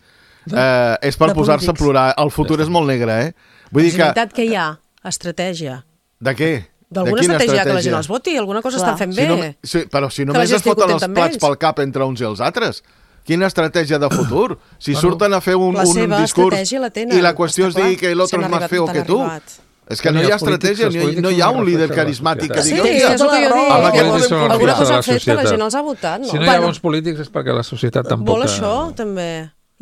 eh, és per posar-se a plorar. El futur és molt negre, eh? Vull dir
és
que...
veritat que hi ha estratègia.
De què?
D'alguna estratègia que la gent els voti, alguna cosa Clar. estan fent
si
bé.
no, si, però si només es foten els plats pel cap entre uns i els altres, quina estratègia de futur? Si bueno, surten a fer un, un discurs
la tenen,
i la qüestió és dir que l'altre és més feo que tu. És que no hi ha estratègia, no hi ha un líder carismàtic que digui...
Sí, és el que jo dic. Alguna cosa han fet que la gent els ha votat, no?
Si no hi ha bons polítics és perquè la societat tampoc...
Vol això, també.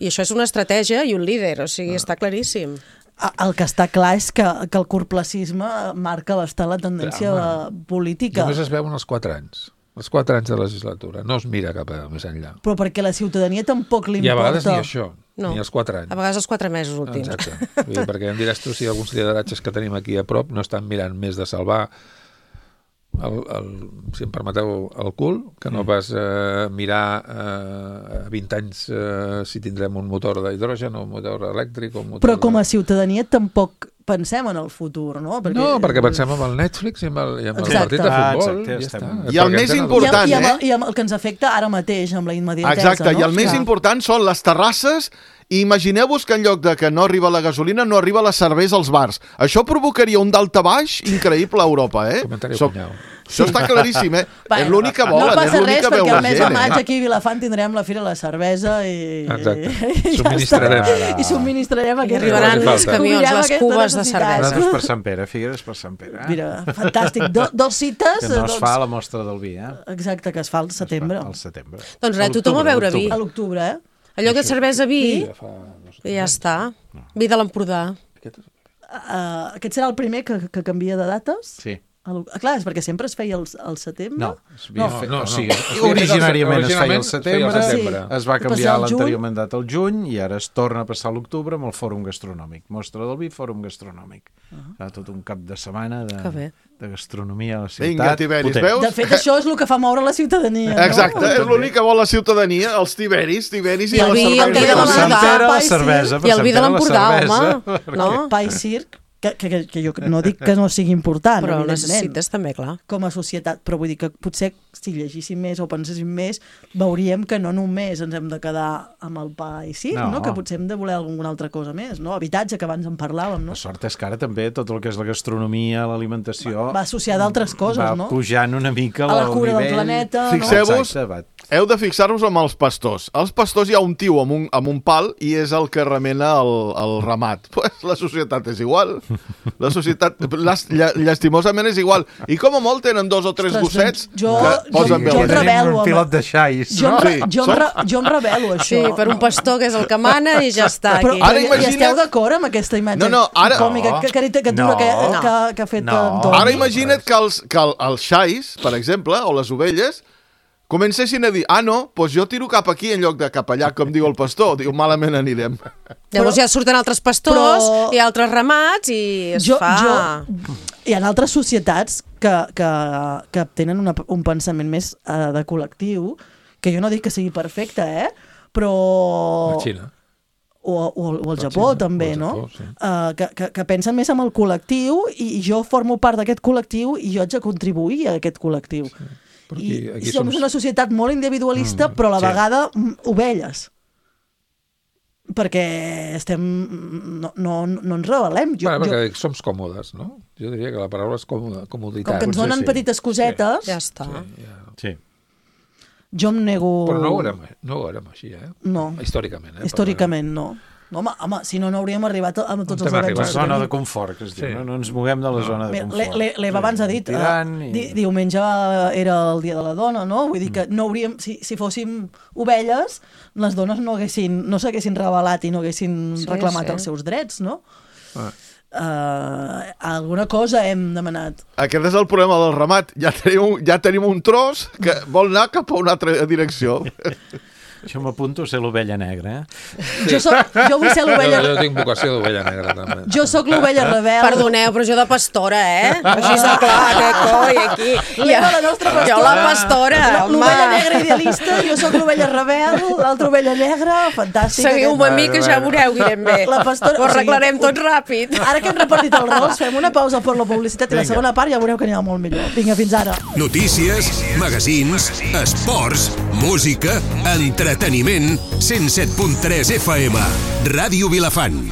I això és una estratègia i un líder, o sigui, està claríssim.
El que està clar és que, que el curtplacisme marca bastant la tendència Clar, política.
Només es veuen els quatre anys. Els quatre anys de legislatura. No es mira cap a més enllà.
Però perquè la ciutadania tampoc li importa.
I a vegades ni això,
no.
ni els quatre anys.
A vegades els quatre mesos últims.
Exacte. Vull dir, perquè em diràs tu si alguns lideratges que tenim aquí a prop no estan mirant més de salvar el, el, si em permeteu, el cul, que no pas eh, mirar eh, a vint anys eh, si tindrem un motor d'hidrogen o un motor elèctric. O un motor
Però com a
de...
ciutadania tampoc pensem en el futur, no?
Perquè... No, perquè pensem en el Netflix i en el, i en el partit de futbol.
Ah, exacte,
ja està.
I el més important,
I, i, amb,
eh?
I amb el que ens afecta ara mateix, amb la immediatesa.
Exacte,
no?
i el més
Clar.
important són les terrasses. I imagineu-vos que en lloc de que no arriba la gasolina, no arriba la cervesa als bars. Això provocaria un daltabaix increïble a Europa, eh?
Comentari
so
punyau.
Això està claríssim, eh?
Bueno,
és l'únic que volen,
no passa
és l'únic
res,
que veu
perquè
la
el mes
gent.
de maig
Eh?
aquí a Vilafant tindrem la Fira de la Cervesa i...
Exacte.
I
Subministrarem.
Ja I subministrarem
I
aquest...
arribaran els camions, les cubes de cervesa.
Nosaltres per Sant Pere, Figueres per Sant Pere. Eh?
Mira, fantàstic. Do, dos cites...
Que no es
doncs...
fa la mostra del vi, eh?
Exacte, que es fa al setembre.
Al setembre.
Doncs res, tothom a beure vi.
A l'octubre, eh?
Allò que cervesa vi, i ja està. Vi de l'Empordà.
Uh, aquest serà el primer que, que canvia de dates?
Sí.
El, clar, és perquè sempre es feia al, al setembre?
No, es
no,
fet,
no,
o sigui,
no.
originàriament es feia al setembre,
setembre.
Sí.
es va canviar
al
l'anterior
juny.
mandat al juny i ara es torna a passar a l'octubre amb el Fòrum Gastronòmic. Mostra del vi, Fòrum Gastronòmic. Uh-huh. Serà tot un cap de setmana de, de gastronomia a la ciutat.
Vinga, Tiberis,
potent.
veus?
De fet, això és el que fa moure la ciutadania. No?
Exacte, és l'únic que vol la ciutadania, els Tiberis, Tiberis i,
I el
la
vi, el vi de
cervesa.
Per Sant
l'Empordà,
Pere, la
pa i
cervesa.
I el vi de l'Empordà, home. No?
Pa i circ, que, que, que jo no dic que no sigui important,
Però ho
evidentment,
necessites també, clar.
com a societat, però vull dir que potser si llegíssim més o penséssim més, veuríem que no només ens hem de quedar amb el pa i circ, no. no? Que potser hem de voler alguna altra cosa més, no? Habitatge, que abans en parlàvem, no?
La sort és que ara també tot el que és la gastronomia, l'alimentació...
Va, va associada a altres coses,
va
no?
Va pujant una mica
a la
el
cura
nivell...
del planeta,
Fixeu-vos,
no? Exacte,
heu de fixar-vos amb els pastors. Els pastors hi ha un tio amb un, amb un pal i és el que remena el, el ramat. Pues la societat és igual. La societat, las, lla, llastimosament és igual. I com a molt tenen dos o tres gossets
jo,
que
jo,
posen
jo, jo em
veu.
rebel·lo.
Un pilot de xais,
Jo,
no?
em,
Sí.
jo, em, re- jo em rebel·lo, això.
Sí, per un pastor que és el que mana i ja està
Però,
aquí.
Ara
però
imagina't-
i esteu d'acord amb aquesta imatge
No, no, ara-
còmica, que, caricatura
No.
que,
No.
que, que ha fet
No.
Antoni?
Ara imagina't que els, que el, els xais, per exemple, o les ovelles, comencessin a dir, ah, no, doncs jo tiro cap aquí en lloc de cap allà, com diu el pastor. Diu, malament anirem.
Llavors ja surten altres pastors
Però-
i altres ramats i es
jo,
fa...
jo, hi ha altres societats que, que, que tenen una, un pensament més uh, de col·lectiu, que jo no dic que sigui perfecte, eh? Però...
La Xina.
O, o, o el
La
Japó,
Xina,
també,
o el
no?
Japó, sí.
Uh, que, que, que pensen més en el col·lectiu i jo formo part d'aquest col·lectiu i jo haig de contribuir a aquest col·lectiu. Sí.
Però
I,
aquí- aquí
i som
som-
una societat molt individualista, mm, però a la
sí.
vegada mm, ovelles. Perquè estem... No, no, no ens rebel·lem. Jo,
Bueno,
jo,
perquè som còmodes, no? Jo diria que la paraula és còmoda, comoditat.
com que ens
potser
donen
sí.
petites cosetes,
Ja està.
Sí, ja.
Sí.
jo em nego...
Però no ho érem, no ho érem així, eh?
No.
Històricament, eh?
Històricament, no. No, home, home, si no, no hauríem arribat a, a tots
On
els
hem
avenços.
arribat?
que
Zona
tenim.
de confort, que es diu.
Sí.
No, no ens moguem de la zona de
Mira,
confort.
l'E- l'Eva abans ha dit,
Tirant
eh,
i...
di, diumenge era el dia de la dona, no? Vull dir que no hauríem, si, si fóssim ovelles, les dones no haguessin, no s'haguessin rebel·lat i no haguessin
Sí,
reclamat
sí.
els seus drets, no?
Ah.
Uh, alguna cosa hem demanat.
Aquest és el problema del ramat. Ja tenim, ja tenim un tros que vol anar cap a una altra direcció.
Això m'apunto a ser l'ovella negra, eh?
Jo, soc, jo vull ser
Jo,
l'ovella...
jo tinc vocació d'ovella negra, també.
Jo sóc l'ovella rebel.
Perdoneu, però jo de pastora, eh? Així de clar, que coi, aquí.
L'Eva, la nostra pastora.
Jo la pastora, home.
L'ovella negra idealista, jo sóc l'ovella rebel, l'altra ovella negra, fantàstic.
Seguiu-me a mi, que ja
Bueno,
veureu que irem bé.
La pastora-
Ho
o sigui,
arreglarem
un-
tot ràpid.
Ara que hem repartit els rols, fem una pausa per la publicitat i la segona part ja veureu que anirà molt millor. Vinga, fins ara.
Notícies, magazins, esports, música, entreteniment, cent set punt tres F M. Ràdio Vilafant.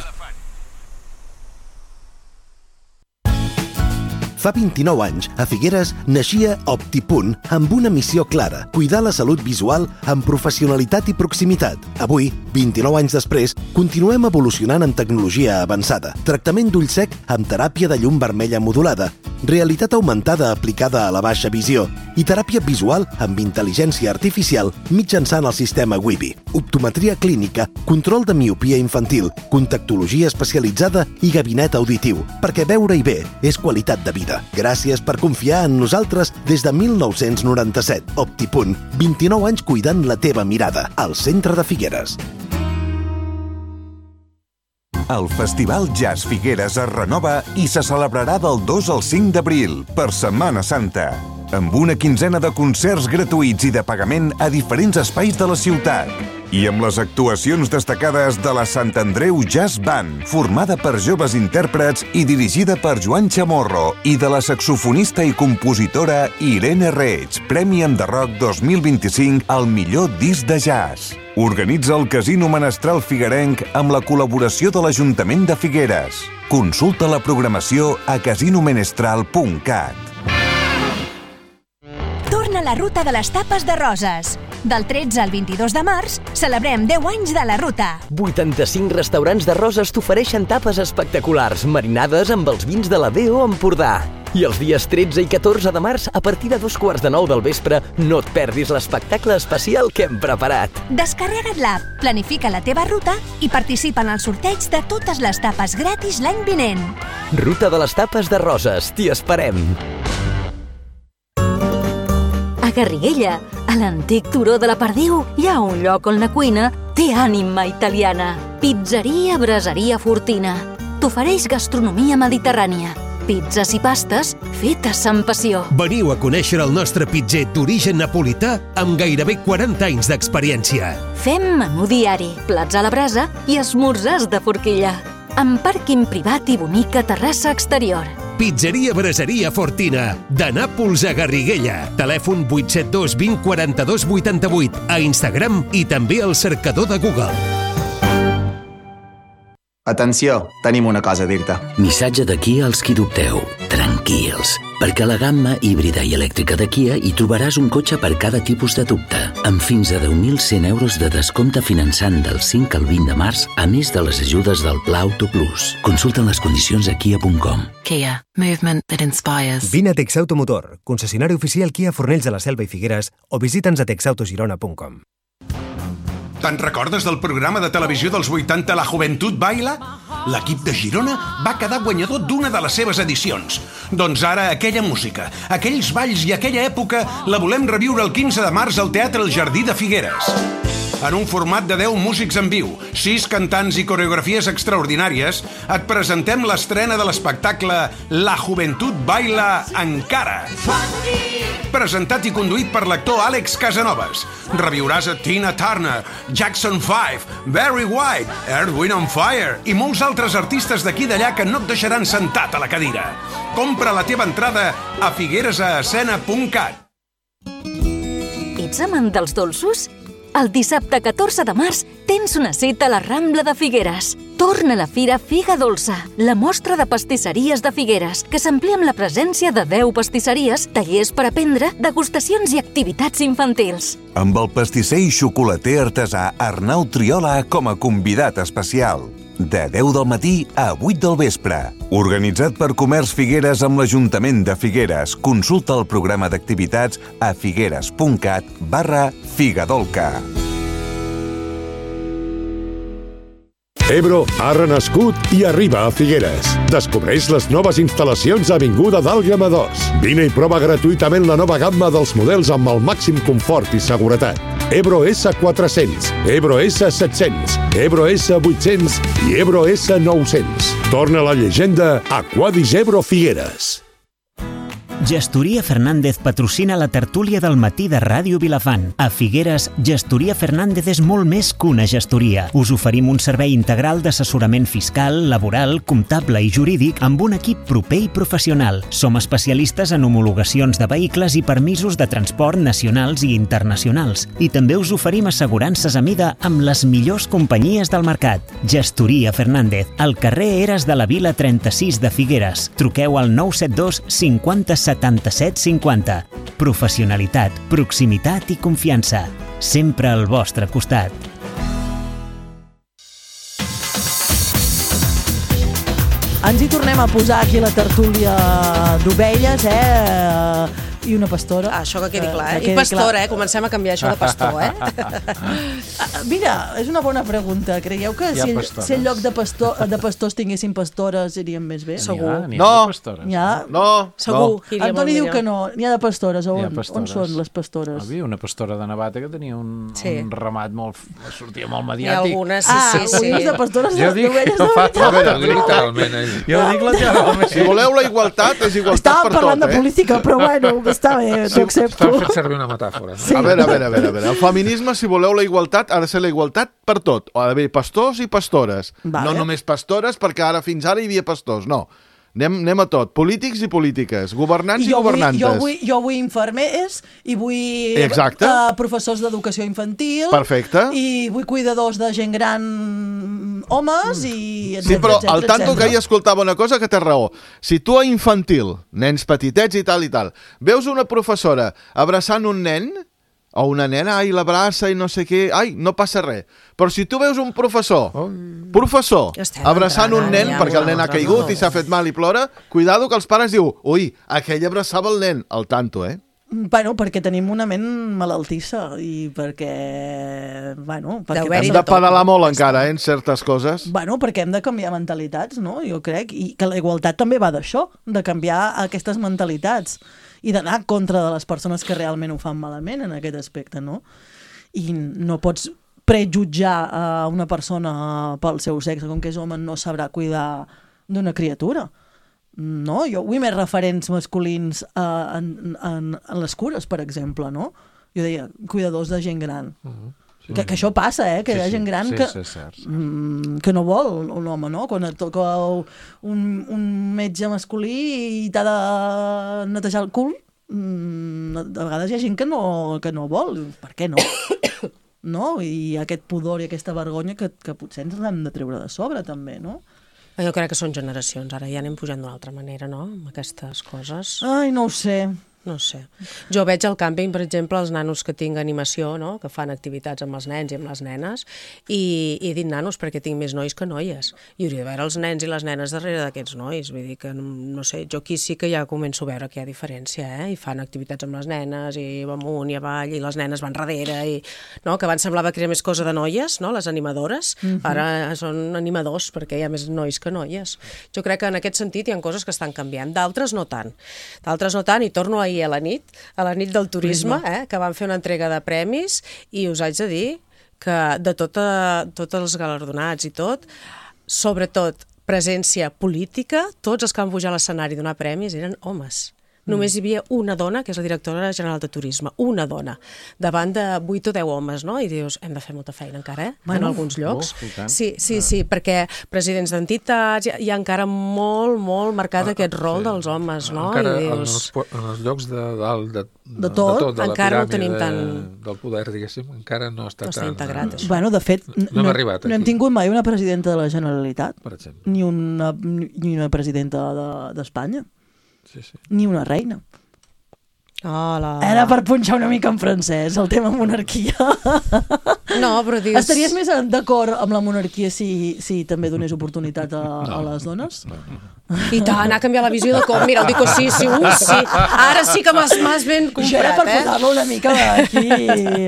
Fa vint-i-nou anys, a Figueres, naixia Optipunt amb una missió clara, cuidar la salut visual amb professionalitat i proximitat. Avui, vint-i-nou anys després, continuem evolucionant en tecnologia avançada. Tractament d'ull sec amb teràpia de llum vermella modulada, realitat augmentada aplicada a la baixa visió i teràpia visual amb intel·ligència artificial mitjançant el sistema Wibi. Optometria clínica, control de miopia infantil, contactologia especialitzada i gabinet auditiu, perquè veure-hi bé és qualitat de vida. Gràcies per confiar en nosaltres des de mil nou-cents noranta-set. Optipunt, vint-i-nou anys cuidant la teva mirada, al centre de Figueres.
El Festival Jazz Figueres es renova i se celebrarà del dos al cinc d'abril, per Setmana Santa, amb una quinzena de concerts gratuïts i de pagament a diferents espais de la ciutat. I amb les actuacions destacades de la Sant Andreu Jazz Band, formada per joves intèrprets i dirigida per Joan Chamorro, i de la saxofonista i compositora Irene Reig, Premi Enderroc dos mil vint-i-cinc al millor disc de jazz. Organitza el Casino Menestral Figuerenc amb la col·laboració de l'Ajuntament de Figueres. Consulta la programació a casinomenestral punt cat.
Torna la ruta de les tapes de Roses. Del tretze al vint-i-dos de març celebrem deu anys de la ruta.
vuitanta-cinc restaurants de Roses t'ofereixen tapes espectaculars, marinades amb els vins de la D O Empordà. I els dies tretze i catorze de març, a partir de dos quarts de nou del vespre, no et perdis l'espectacle especial que hem preparat.
Descarrega't l'app, planifica la teva ruta i participa en el sorteig de totes les tapes gratis l'any vinent.
Ruta de les tapes de Roses, t'hi esperem.
A Garriguella, a l'antic turó de la Perdiu, hi ha un lloc on la cuina té ànima italiana. Pizzeria Braseria Fortina. T'ofereix gastronomia mediterrània. Pizzas i pastes fetes amb passió.
Veniu a conèixer el nostre pizzer d'origen napolità amb gairebé quaranta anys d'experiència.
Fem menú diari, plats a la brasa i esmorzars de forquilla. Amb pàrquing privat i bonica terrassa exterior.
Pizzeria Braseria Fortina, de Nàpols a Garriguella. Telèfon vuit set dos vint quaranta-dos vuitanta-vuit, a Instagram i també al cercador de Google.
Atenció, tenim una cosa a dir-te.
Missatge d'aquí als qui dubteu. Tranquils.
perquè a la gamma híbrida i elèctrica de Kia hi trobaràs un cotxe per cada tipus de dubte, amb fins a deu mil cent euros de descompte finançant del cinc al vint de març, a més de les ajudes del Pla Auto Plus. Consulta les condicions a kia punt com.
Kia. Movement that inspires.
Vine a Texauto Motor, concessionari oficial Kia Fornells de la Selva i Figueres, o visita'ns a texautogirona punt com.
Te'n recordes del programa de televisió dels vuitanta La Joventut Baila? L'equip de Girona va quedar guanyador d'una de les seves edicions. Doncs ara aquella música, aquells balls i aquella època la volem reviure el quinze de març al Teatre El Jardí de Figueres. En un format de deu músics en viu, sis cantants i coreografies extraordinàries, et presentem l'estrena de l'espectacle La Joventut Baila encara. Presentat i conduït per l'actor Àlex Casanovas. Reviuràs a Tina Turner, Jackson five, Barry White, Earth, Wind and Fire i molts altres artistes d'aquí i d'allà que no et deixaran sentat a la cadira. Compra la teva entrada a figueres a escena punt cat.
Ets amant dels dolços? El dissabte catorze de març tens una cita a la Rambla de Figueres. Torna a la Fira Figa Dolça, la mostra de pastisseries de Figueres, que s'amplia amb la presència de deu pastisseries, tallers per aprendre, degustacions i activitats infantils.
Amb el pastisser i xocolater artesà Arnau Triola com a convidat especial. De deu del matí a vuit del vespre. Organitzat per Comerç Figueres amb l'Ajuntament de Figueres. Consulta el programa d'activitats a figueres punt cat barra figadolca.
Ebro ha renascut i arriba a Figueres. Descobreix les noves instal·lacions a Avinguda d'Àlguema dos. Vine i prova gratuïtament la nova gamma dels models amb el màxim confort i seguretat. Ebro essa quatre-cents, Ebro essa set-cents, Ebro essa vuit-cents i Ebro essa nou-cents. Torna la llegenda a Quadis Ebro Figueres.
Gestoria Fernández patrocina la tertúlia del matí de Ràdio Vilafant. A Figueres, Gestoria Fernández és molt més que una gestoria. Us oferim un servei integral d'assessorament fiscal, laboral, comptable i jurídic amb un equip proper i professional. Som especialistes en homologacions de vehicles i permisos de transport nacionals i internacionals. I també us oferim assegurances a mida amb les millors companyies del mercat. Gestoria Fernández, al carrer Eres de la Vila trenta-sis de Figueres. Truqueu al nou set dos cinquanta setanta-set cinquanta. Professionalitat, proximitat i confiança. Sempre al vostre costat.
Ens hi tornem a posar aquí la tertúlia d'ovelles, eh? I una pastora.
Ah, això que quedi clar, eh? I pastora, eh? Comencem a canviar això de pastor, eh?
Mira, és una bona pregunta. Creieu que si, si en lloc de, pastor, de pastors tinguessin pastores irien més bé?
Segur.
No,
ha?
no,
segur.
No.
Antoni diu que no. N'hi ha de pastores. On, on són les pastores?
Hi havia una pastora de Navata que tenia un,
sí.
un ramat molt... sortia molt
Hi
mediàtic.
ha algunes, sí,
ah,
sí, sí.
de pastores
jo dic,
d'ovelles
no
de
fa
veritat.
Literalment, ell.
Jo dic literalment.
Si voleu la igualtat, és igualtat
Estàvem
per tot,
parlant de
eh?
política, però bueno, està bé, t'ho accepto.
Estava fent servir una metàfora.
Sí.
A veure, a veure, a veure, a veure. El feminisme, si voleu la igualtat, ha de ser la igualtat per tot. Ha d'haver pastors i pastores.
Vale.
No només pastores, perquè ara fins ara hi havia pastors, no. Anem, anem a tot. Polítics i polítiques, governants i, i governantes.
Jo vull, jo vull infermers i vull
Exacte.
Uh, professors d'educació infantil.
Perfecte.
I vull cuidadors de gent gran homes i... Etcètera,
Sí, però
etcètera,
al tanto
etcètera.
que ahir escoltava una cosa que té raó. Si tu a infantil, nens petitets i tal i tal, veus una professora abraçant un nen o una nena, ai, l'abraça i no sé què, ai, no passa res. Però si tu veus un professor, oh. professor, abraçant un nen, perquè el nen ha caigut i s'ha fet mal i plora, cuidado que els pares diu, ui, aquell abraçava el nen, al tanto, eh?
Bueno, perquè tenim una ment malaltissa i perquè... Bueno, perquè
hem de pedalar molt encara, eh, en certes coses.
Bueno, perquè hem de canviar mentalitats, no? Jo crec, i que la igualtat també va d'això, de canviar aquestes mentalitats i d'anar en contra de les persones que realment ho fan malament en aquest aspecte, no? I no pots prejutjar a una persona pel seu sexe, com que és home no sabrà cuidar d'una criatura. No? Jo vull més referents masculins uh, en, en, en les cures, per exemple, no? Jo deia, cuidadors de gent gran. Uh-huh. Sí. Que, que això passa, eh? Que sí, hi ha gent gran
sí,
que,
sí, sí,
mm, que no vol un home, no? Quan et toca un, un metge masculí i t'ha de netejar el cul, mm, de vegades hi ha gent que no, que no vol. Per què no? No? I aquest pudor i aquesta vergonya que, que potser ens hem de treure de sobre, també, no?
Jo crec que són generacions, ara ja anem pujant d'una altra manera, no?, amb aquestes coses.
Ai, no ho sé.
No sé. Jo veig al càmping, per exemple, els nanos que tinc animació, no?, que fan activitats amb els nens i amb les nenes, i, i he dit nanos perquè tinc més nois que noies. I hauria de veure els nens i les nenes darrere d'aquests nois. Vull dir que, no sé, jo aquí sí que ja començo a veure que hi ha diferència, eh? I fan activitats amb les nenes, i amunt i avall, i les nenes van darrere, i... no? Que abans semblava que era més cosa de noies, no?, les animadores. Mm-hmm. Ara són animadors perquè hi ha més nois que noies. Jo crec que en aquest sentit hi ha coses que estan canviant. D'altres no tant. D'altres no tant, i torno a a la nit, a la nit del turisme, eh, que van fer una entrega de premis, i us haig de dir que de tota, tots els galardonats i tot, sobretot presència política, tots els que van pujar a l'escenari a donar premis eren homes. Només hi havia una dona, que és la directora general de turisme, una dona, davant de vuit o deu homes, no? I dius, hem de fer molta feina encara, eh? Bueno, en alguns llocs. Oh, sí, sí, sí, perquè presidents d'entitats, hi, hi ha encara molt, molt marcat ah, aquest rol sí. dels homes, no?
Encara
I dius...
en, els, en els llocs de dalt, de,
de, de tot, de, tot, de
encara
no tenim tan...
del poder, diguéssim, encara no està,
no està
tan...
integrat, això.
Bueno, de fet, no,
no, hem, arribat
no hem tingut mai una presidenta de la Generalitat,
per exemple.
Ni una, ni una presidenta d'Espanya, de,
sí, sí.
Ni una reina.
Hola.
Era per punxar una mica en francès, el tema monarquia.
No, però dius...
Estaries més d'acord amb la monarquia si, si també donés oportunitat a, no, a les dones?
No, no.
I tant, ha canviat la visió de com. Mira, ho dic sí, sí, uh, sí. Ara sí que m'has ben comprat,
jo era per
eh?
posar-lo una mica aquí,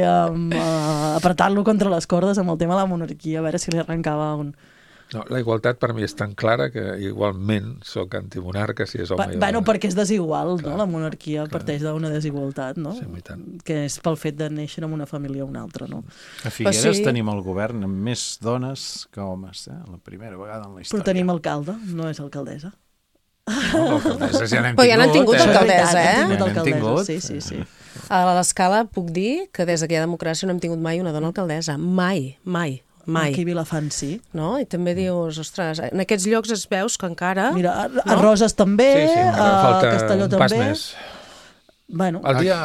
um, uh, apretar-lo contra les cordes amb el tema de la monarquia, a veure si li arrencava un...
No, la igualtat per mi és tan clara que igualment sóc antimonarca si és home.
Pa, bueno, perquè és desigual, clar, no? La monarquia clar. Parteix d'una desigualtat, no?
Sí,
que és pel fet de néixer en una família o una altra, no?
A Figueres sí. tenim el govern amb més dones que homes, eh? La primera vegada en la història.
Però tenim alcalde, no és alcaldessa.
No, l'alcaldessa ja n'hem tingut.
Però ja n'han tingut
eh?
alcaldessa, eh?
Ja n'hem tingut. Sí, sí, sí.
A l'escala puc dir que des que hi ha democràcia no hem tingut mai una dona alcaldessa. Mai, mai. Mai.
Aquí a Vilafant sí.
No? I també dius, ostres, en aquests llocs es veus que encara...
Mira, a, a Roses també,
sí, sí,
a Castelló
un
també.
Pas més.
Bueno,
el dia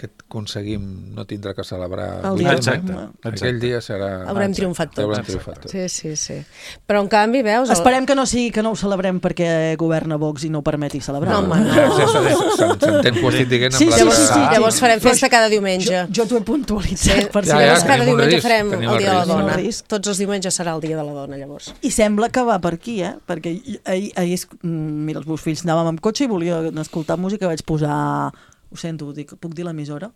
que aconseguim no tindre que celebrar...
El dia
exacte. Aquell dia serà...
Haurem exacte. triomfat tots.
Haurem triomfat tots.
Sí, sí, sí. Però en canvi, veus...
El... Esperem que no sigui que no ho celebrem perquè governa Vox i no permeti celebrar.
No, home, no.
S'entén que ho estic dient
sí,
amb
sí,
la...
Sí, sí, sí.
Llavors farem festa cada diumenge.
Jo, jo t'ho he puntualitzat.
Sí.
Per
ja,
si
ja, cada diumenge
risc,
farem el dia de la dona.
Risc.
Tots els diumenges serà el dia de la dona, llavors.
I sembla que va per aquí, eh? Perquè ahir, ahir mira, els meus fills anàvem amb cotxe i volia escoltar música, vaig posar... Ho sento, dic, puc dir l'emissora?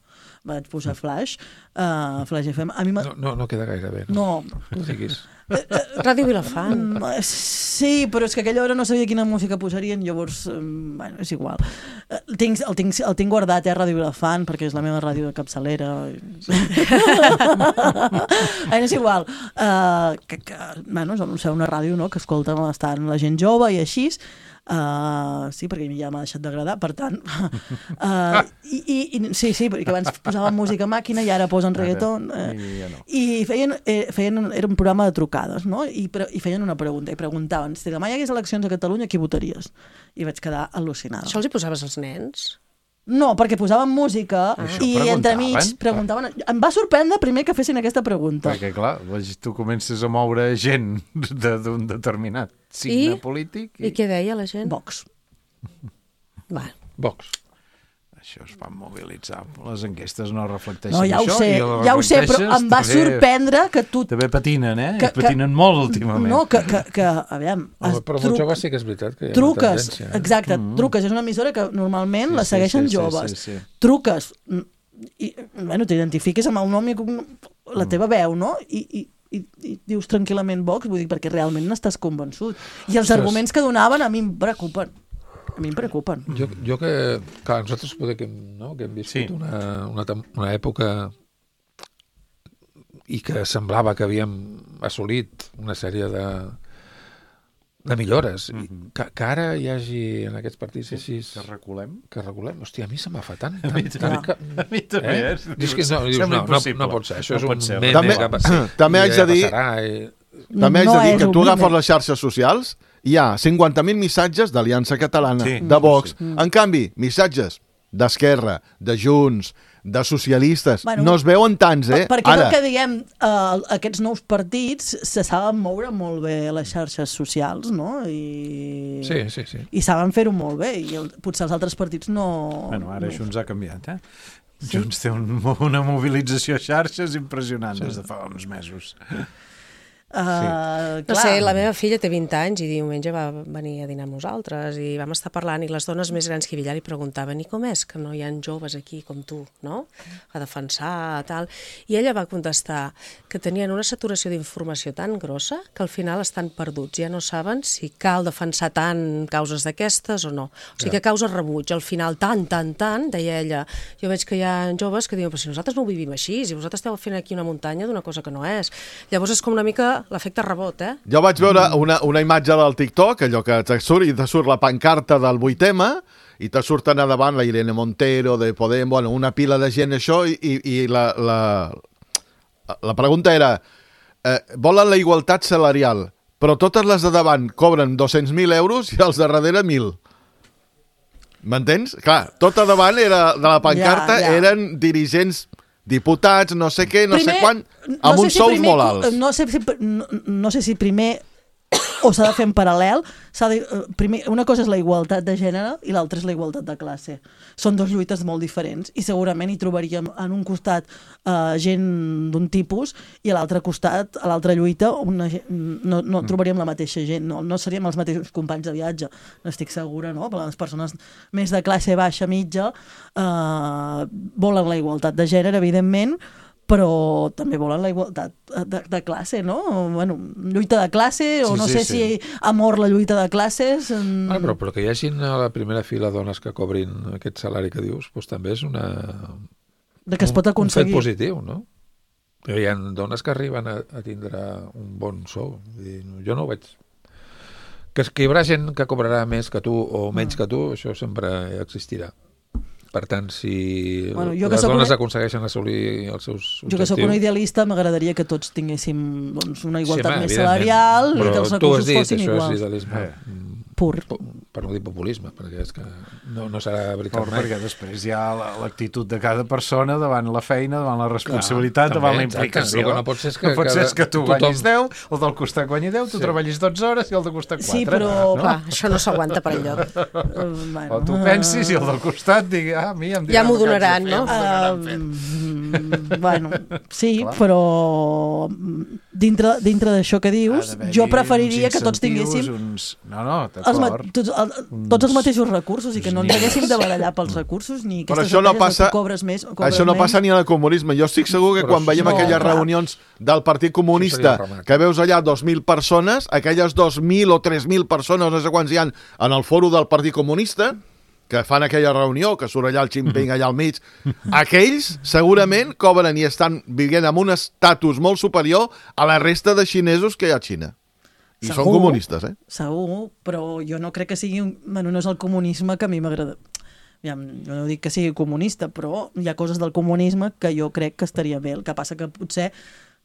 Vaig posar Flash, uh, Flash F M. A mi
no, no, no queda gaire bé.
No.
No diguis.
Ràdio Vilafant.
Sí, però és que a aquella hora no sabia quina música posarien, llavors, bueno, és igual. El tinc, el tinc, el tinc guardat, eh, Ràdio Vilafant, perquè és la meva ràdio de capçalera. És igual. Uh, que, que, bueno, és una ràdio, no?, que escolta bastant la gent jove i així. Uh, sí, perquè ja m'ha deixat d'agradar, per tant uh, i, i, i, sí, sí, perquè abans posaven música a màquina i ara posen reggaeton uh,
I, ja no.
i feien, eh, feien era un programa de trucades, no? I, pre, i feien una pregunta, i preguntaven si demà hi hagués eleccions a Catalunya, qui votaries? I vaig quedar al·lucinada.
Això els hi posaves als nens?
No, perquè posaven música ah. i entremig preguntaven... Em va sorprendre primer que fessin aquesta pregunta.
Perquè, clar, tu comences a moure gent d'un determinat signe
I?
polític.
I... I què deia la gent?
Vox.
Va.
Vox.
Això es van mobilitzar. Les enquestes no reflecteixen
no, ja
això.
Ho sé, ja ho sé, però em va sorprendre que tu...
També patinen, eh? Que, patinen que... molt últimament.
No, que, que, que aviam...
Home, però truc... molt joves sí que és veritat que hi ha
truques,
una tendència. Eh?
Exacte, mm. truques. És una emissora que normalment sí, la segueixen sí, sí, joves. Sí, sí, sí. Truques, i, bueno, t'identifiques amb el nom i la teva veu, no? I, i, i, i dius tranquil·lament Vox, vull dir, perquè realment n'estàs convençut. I els Ostres. arguments que donaven a mi em preocupen. A mi em preocupen.
Jo, jo que, clar, nosaltres poder que, no, que hem viscut sí. una, una, una època i que semblava que havíem assolit una sèrie de, de millores. Mm-hmm. que, que ara hi hagi en aquests partits així...
Que reculem?
Que reculem. Hòstia, a mi se m'ha fa tant.
A mi,
tant,
que... a mi també.
Eh?
Eh?
Dius que no, dius, no, no, no pot ser. Això no és un
ser.
meme
també,
que passi,
també haig de dir...
I...
També haig
no
de dir que tu
meme.
agafes les xarxes socials, hi ha cinquanta mil missatges d'Aliança Catalana,
sí.
de Vox.
Sí.
En canvi, missatges d'Esquerra, de Junts, de socialistes.
Bueno,
no es veuen tants, eh?
Perquè
Ara.
el que diguem, eh, aquests nous partits se saben moure molt bé a les xarxes socials, no? I,
sí, sí, sí.
I saben fer-ho molt bé, i el, potser els altres partits no...
Bueno, ara
no.
Junts ha canviat, eh? Sí? Junts té un, una mobilització a xarxes impressionant sí. des de fa uns mesos.
Uh,
sí. No sé, la meva filla té vint anys i diumenge va venir a dinar amb nosaltres i vam estar parlant i les dones més grans que hi havia li preguntaven i com és que no hi ha joves aquí com tu, no? A defensar, tal. I ella va contestar que tenien una saturació d'informació tan grossa que al final estan perduts, ja no saben si cal defensar tant causes d'aquestes o no. O sigui que causa rebuig, al final tant, tant, tant, deia ella, jo veig que hi ha joves que diuen, però si nosaltres no ho vivim així, si vosaltres esteu fent aquí una muntanya d'una cosa que no és. Llavors és com una mica l'efecte rebot, eh?
Jo vaig veure una, una imatge del TikTok, allò que te surt, i te surt la pancarta del vuitema, i te surten a davant la Irene Montero, de Podem, bueno, una pila de gent, això, i, i la, la, la pregunta era, eh, volen la igualtat salarial, però totes les de davant cobren dos-cents mil euros i els de darrere mil. M'entens? Clar, tot a davant era, de la pancarta ja, ja. eren dirigents diputats, no sé què, no primer, sé quan, amb no uns sé si sous primer, molt alts.
No sé, si, no, no sé si primer o s'ha de fer en paral·lel, s'ha de, primer, una cosa és la igualtat de gènere i l'altra és la igualtat de classe. Són dues lluites molt diferents i segurament hi trobaríem en un costat uh, gent d'un tipus i a l'altre costat, a l'altra lluita, una, no, no trobaríem la mateixa gent, no, no seríem els mateixos companys de viatge, n'estic segura, no? Per les persones més de classe baixa, mitja, uh, volen la igualtat de gènere, evidentment, però també volen la igualtat de, de classe, no? Bueno, lluita de classe, o sí, no sé sí, si sí. amor la lluita de classes... En...
Ah, però, però que hi hagin a la primera fila dones que cobrin aquest salari que dius, doncs també és una...
De que es pot aconseguir.
Un fet positiu, no? Hi ha dones que arriben a, a tindre un bon sou. I jo no ho veig... Que, que hi haurà gent que cobrarà més que tu o menys mm. que tu, això sempre existirà. Per tant, si bueno, les dones una... aconsegueixen assolir els seus objectius... Jo
que sóc una idealista, m'agradaria que tots tinguéssim doncs, una igualtat sí, més salarial i que els recursos dit, fossin iguals. Però tu has dit, això és idealisme eh. pur. Per no dir populisme, perquè és que no, no serà veritat mai.
Perquè després hi ha l'actitud de cada persona davant la feina, davant la responsabilitat, clar, davant també, la implicació.
El que no pot ser és que,
no pot ser és que tu tothom... guanyis deu, el del costat guanyi deu, tu sí. treballis dotze hores i el del costat quatre.
Sí, però
no?
clar, això no s'aguanta per enlloc.
Uh, bueno. O tu pensis i el del costat digui, ah, a mi em
ja m'ho donaran, no?
Uh, bueno, sí, clar. Però dintre, dintre d'això que dius, jo preferiria que tots tinguéssim...
Uns... No, no,
d'acord. Tots, el, tots els mateixos recursos i que no ens haguéssim de barallar pels recursos ni aquestes
això no passa,
tu cobres més o cobres
això no
menys.
Passa ni en el comunisme. Jo estic segur que però quan veiem no, aquelles clar. reunions del Partit Comunista que veus allà dos mil persones, aquelles dos mil o tres mil persones, no sé quants hi ha en el fòrum del Partit Comunista, que fan aquella reunió, que surt allà el Jinping allà al mig, aquells segurament cobren i estan vivint amb un estatus molt superior a la resta de xinesos que hi ha a Xina. I segur, són comunistes, eh?
Segur, però jo no crec que sigui... Bueno, no és el comunisme que a mi m'agrada. Ja, jo no dic que sigui comunista, però hi ha coses del comunisme que jo crec que estaria bé. El que passa que potser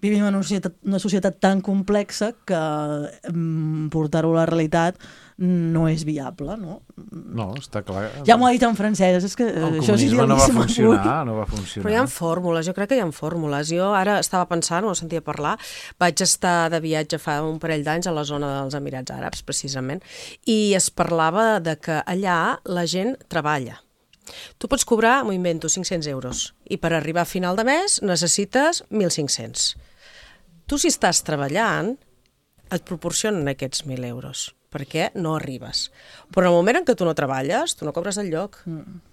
vivim en una societat, una societat tan complexa que mm, portar-ho a la realitat no és viable, no?
No, està clar.
Ja m'ho ha dit en francès, és que
el
això és
comunisme no va funcionar, no va funcionar.
Però hi ha fórmules, jo crec que hi ha fórmules. Jo ara estava pensant, ho sentia parlar, vaig estar de viatge fa un parell d'anys a la zona dels Emirats Àrabs, precisament, i es parlava de que allà la gent treballa. Tu pots cobrar, m'ho invento, cinc-cents euros, i per arribar a final de mes necessites mil cinc-cents. Tu, si estàs treballant, et proporcionen aquests mil euros, perquè no arribes. Però en el moment en què tu no treballes, tu no cobres del lloc,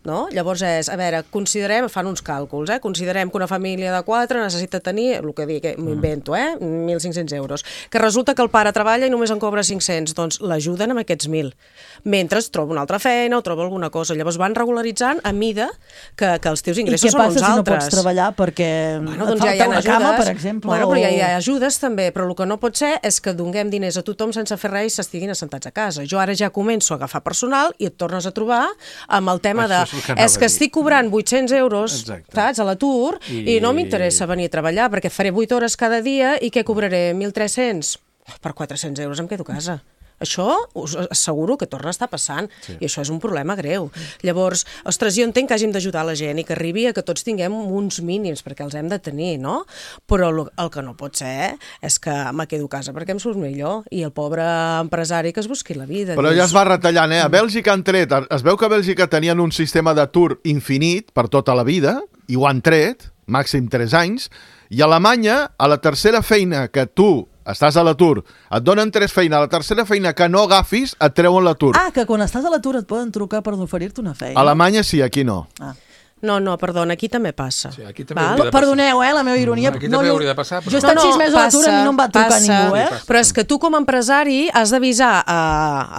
no? Llavors és, a veure, considerem, fan uns càlculs, eh? Considerem que una família de quatre necessita tenir, el que dic, m'ho invento, eh? mil cinc-cents euros, que resulta que el pare treballa i només en cobra cinc-cents, doncs l'ajuden amb aquests mil, mentre troba una altra feina o troba alguna cosa. Llavors van regularitzant a mida que, que els teus ingressos són uns altres.
I què passa si no pots treballar perquè
bueno,
et
doncs
falta
ja
una
ajudes,
cama, per exemple?
Bueno,
o...
però ja hi ha ajudes també, però el que no pot ser és que donem diners a tothom sense fer res i s'estiguin assentats a casa. Jo ara ja començo a agafar personal i et tornes a trobar amb el tema de és, és que estic cobrant vuit-cents euros saps, a l'atur i... i no m'interessa venir a treballar perquè faré vuit hores cada dia i què cobraré? mil tres-cents? Per quatre-cents euros em quedo a casa. Això us asseguro que torna a estar passant,
Sí.
i això és un problema greu. Llavors, ostres, jo entenc que hàgim d'ajudar la gent i que arribi a que tots tinguem uns mínims, perquè els hem de tenir, no? Però el, el que no pot ser és que me quedo a casa perquè em surt millor, i el pobre empresari que es busqui la vida.
Però ja es va retallant, eh? A Bèlgica han tret, es veu que a Bèlgica tenien un sistema d'atur infinit per tota la vida, i ho han tret, màxim tres anys, i a Alemanya, a la tercera feina que tu estàs a l'atur, et donen tres feines, a la tercera feina que no agafis, et treuen l'atur.
Ah, que quan estàs a l'atur et poden trucar per oferir-te una feina.
A Alemanya sí, aquí no.
Ah.
No, no, perdona, aquí també passa.
Sí, aquí també hauria de
Perdoneu, eh, la meva ironia.
Aquí també hauria de passar.
Jo he estat sis mesos a l'atur i no em va trucar
passa,
ningú, eh?
Però és que tu com a empresari has d'avisar a,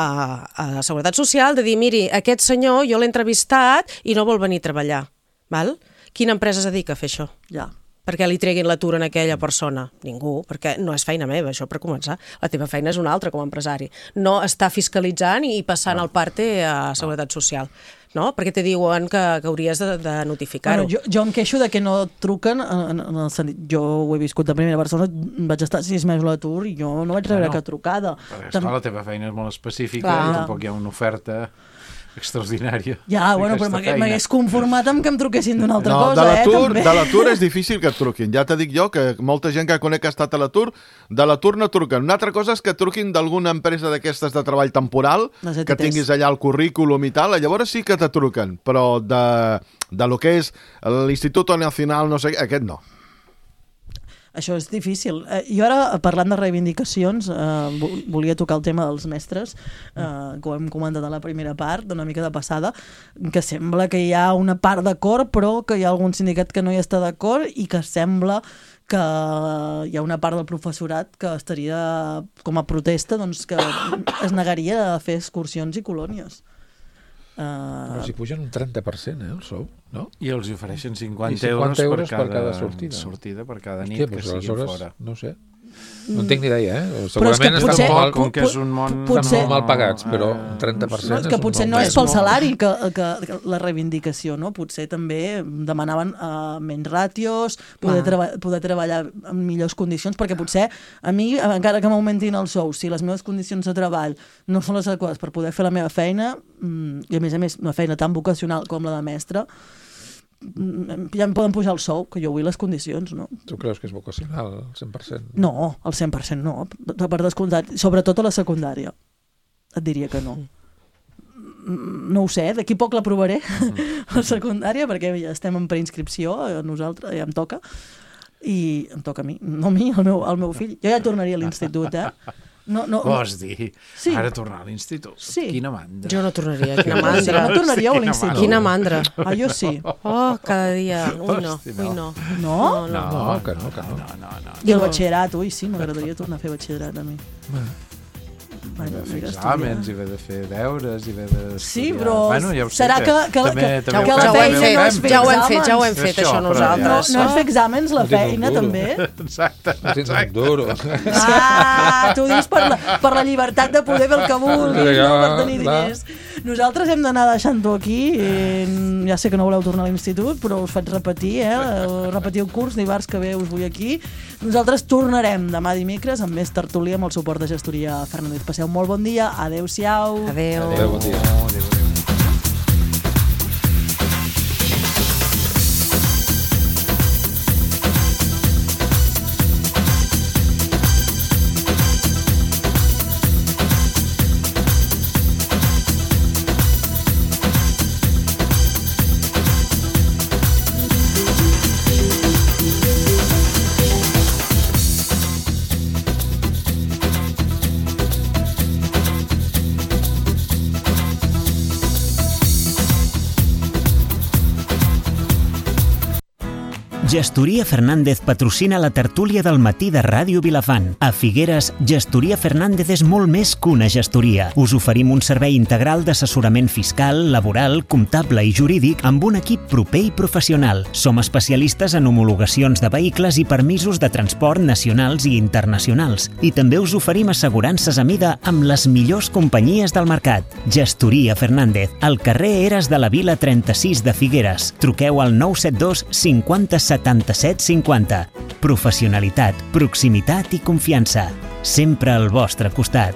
a, a Seguretat Social de dir, miri, aquest senyor jo l'he entrevistat i no vol venir a treballar. Val? Quina empresa es dedica a fer això?
Ja.
Perquè li treguin l'atur a aquella persona? Ningú, perquè no és feina meva, això per començar. La teva feina és una altra com a empresari. No està fiscalitzant i passant el parte a Seguretat Social. No? Perquè te diuen que, que hauries de, de notificar-ho.
Bueno, jo, jo em queixo de que no truquen, en, en el sentit, jo ho he viscut de primera persona, vaig estar sis mesos a l'atur i jo no vaig rebre
Bueno,
cap trucada.
Però, esclar, la teva feina és molt específica
Clar.
i tampoc hi ha una oferta extraordinària.
Ja, bueno, però
d'aquesta
m'hagués
feina.
conformat amb que em truquessin d'una altra
No,
cosa,
de
eh,
l'atur
també.
de l'atur és difícil que et truquin. Ja t'he dit jo que molta gent que conec que ha estat a l'atur, de l'atur no truquen. Una altra cosa és que truquin d'alguna empresa d'aquestes de treball temporal,
Les E T
que
Ts.
tinguis allà el currículum i tal, llavors sí que te truquen, però de, de lo que és l'Institut Nacional, no sé, aquest no.
Això és difícil. Eh, jo ara, parlant de reivindicacions, eh, vo- volia tocar el tema dels mestres, eh, que ho hem comentat a la primera part, d'una mica de passada, que sembla que hi ha una part d'acord, però que hi ha algun sindicat que no hi està d'acord i que sembla que hi ha una part del professorat que estaria com a protesta, doncs que es negaria a fer excursions i colònies.
Però si pugen un trenta per cent, eh, el sou, no?
I els ofereixen
I
cinquanta,
cinquanta
euros,
euros per cada sortida.
sortida per cada nit
Hòstia,
que
doncs
siguin
aleshores,
fora.
no sé. No en tinc ni idea, eh?
Però és que
Segurament
potser-
estan, molt,
com que és un món...
estan
potser-
molt mal pagats, però un trenta per cent
No, és que
un
potser
bon
no és
preu.
pel salari que, que, que la reivindicació, no? Potser també demanaven uh, menys ràtios, poder,
Ah.
treba poder treballar en millors condicions, perquè potser a mi, encara que m'augmentin el sou, si les meves condicions de treball no són les adequades per poder fer la meva feina, mm, i a més a més una feina tan vocacional com la de mestre, mm, ja em poden pujar el sou, que jo vull les condicions, no?
Tu creus que és vocacional, al cent per cent?
No, al cent per cent no, per descomptat, sobretot a la secundària. Et diria que no. No ho sé, d'aquí poc l'aprovaré, la secundària, perquè ja estem en preinscripció, a nosaltres, ja em toca, i em toca a mi, no a mi, al meu, al meu fill. Jo ja tornaria a l'institut, eh? No, no,
Vols dir?
Sí.
Ara tornar a l'institut?
Sí.
Quina mandra.
Jo no tornaria,
Quina
quina mandra.
No tornaríeu a l'institut?
Quina mandra.
Ah, jo sí.
Oh, cada dia. Ui, no,
Hosti,
ui, no.
No?
No, no.
No, que no, que no.
No, no, no.
I el batxillerat, ui, sí, m'agradaria tornar a fer batxillerat a mi.
I haver de fer exàmens, i haver de fer deures, i haver de...
Sí, però
bueno, ja ho sé,
serà que, que,
també,
que,
també
que
ho
la
fem,
feina
també ho
no és
fem.
fer
Ja ho hem
exàmens.
fet, ja ho hem fet, això,
però
nosaltres.
No, no és fer exàmens, la
No tinc un
feina,
duro.
també.
Exacte,
No tens un
exacte.
duro.
Ah, tu dius per la, per la llibertat de poder fer el que vulguis,
Ja,
no per tenir
clar.
diners. Nosaltres hem d'anar deixant-ho aquí. Eh, ja sé que no voleu tornar a l'institut, però us faig repetir, eh? Repetir el curs, dimarts que ve us vull aquí. Nosaltres tornarem demà dimecres amb més tertúlia amb el suport de gestoria Fernández. Passeu un molt bon dia. Adéu-siau.
Adéu.
Adéu, bon dia.
Gestoria Fernández patrocina la tertúlia del matí de Ràdio Vilafant. A Figueres, Gestoria Fernández és molt més que una gestoria. Us oferim un servei integral d'assessorament fiscal, laboral, comptable i jurídic amb un equip proper i professional. Som especialistes en homologacions de vehicles i permisos de transport nacionals i internacionals. I també us oferim assegurances a mida amb les millors companyies del mercat. Gestoria Fernández, al carrer Eres de la Vila trenta-sis de Figueres. Truqueu al nou set dos cinquanta setanta-set cinquanta. Professionalitat, proximitat i confiança. Sempre al vostre costat.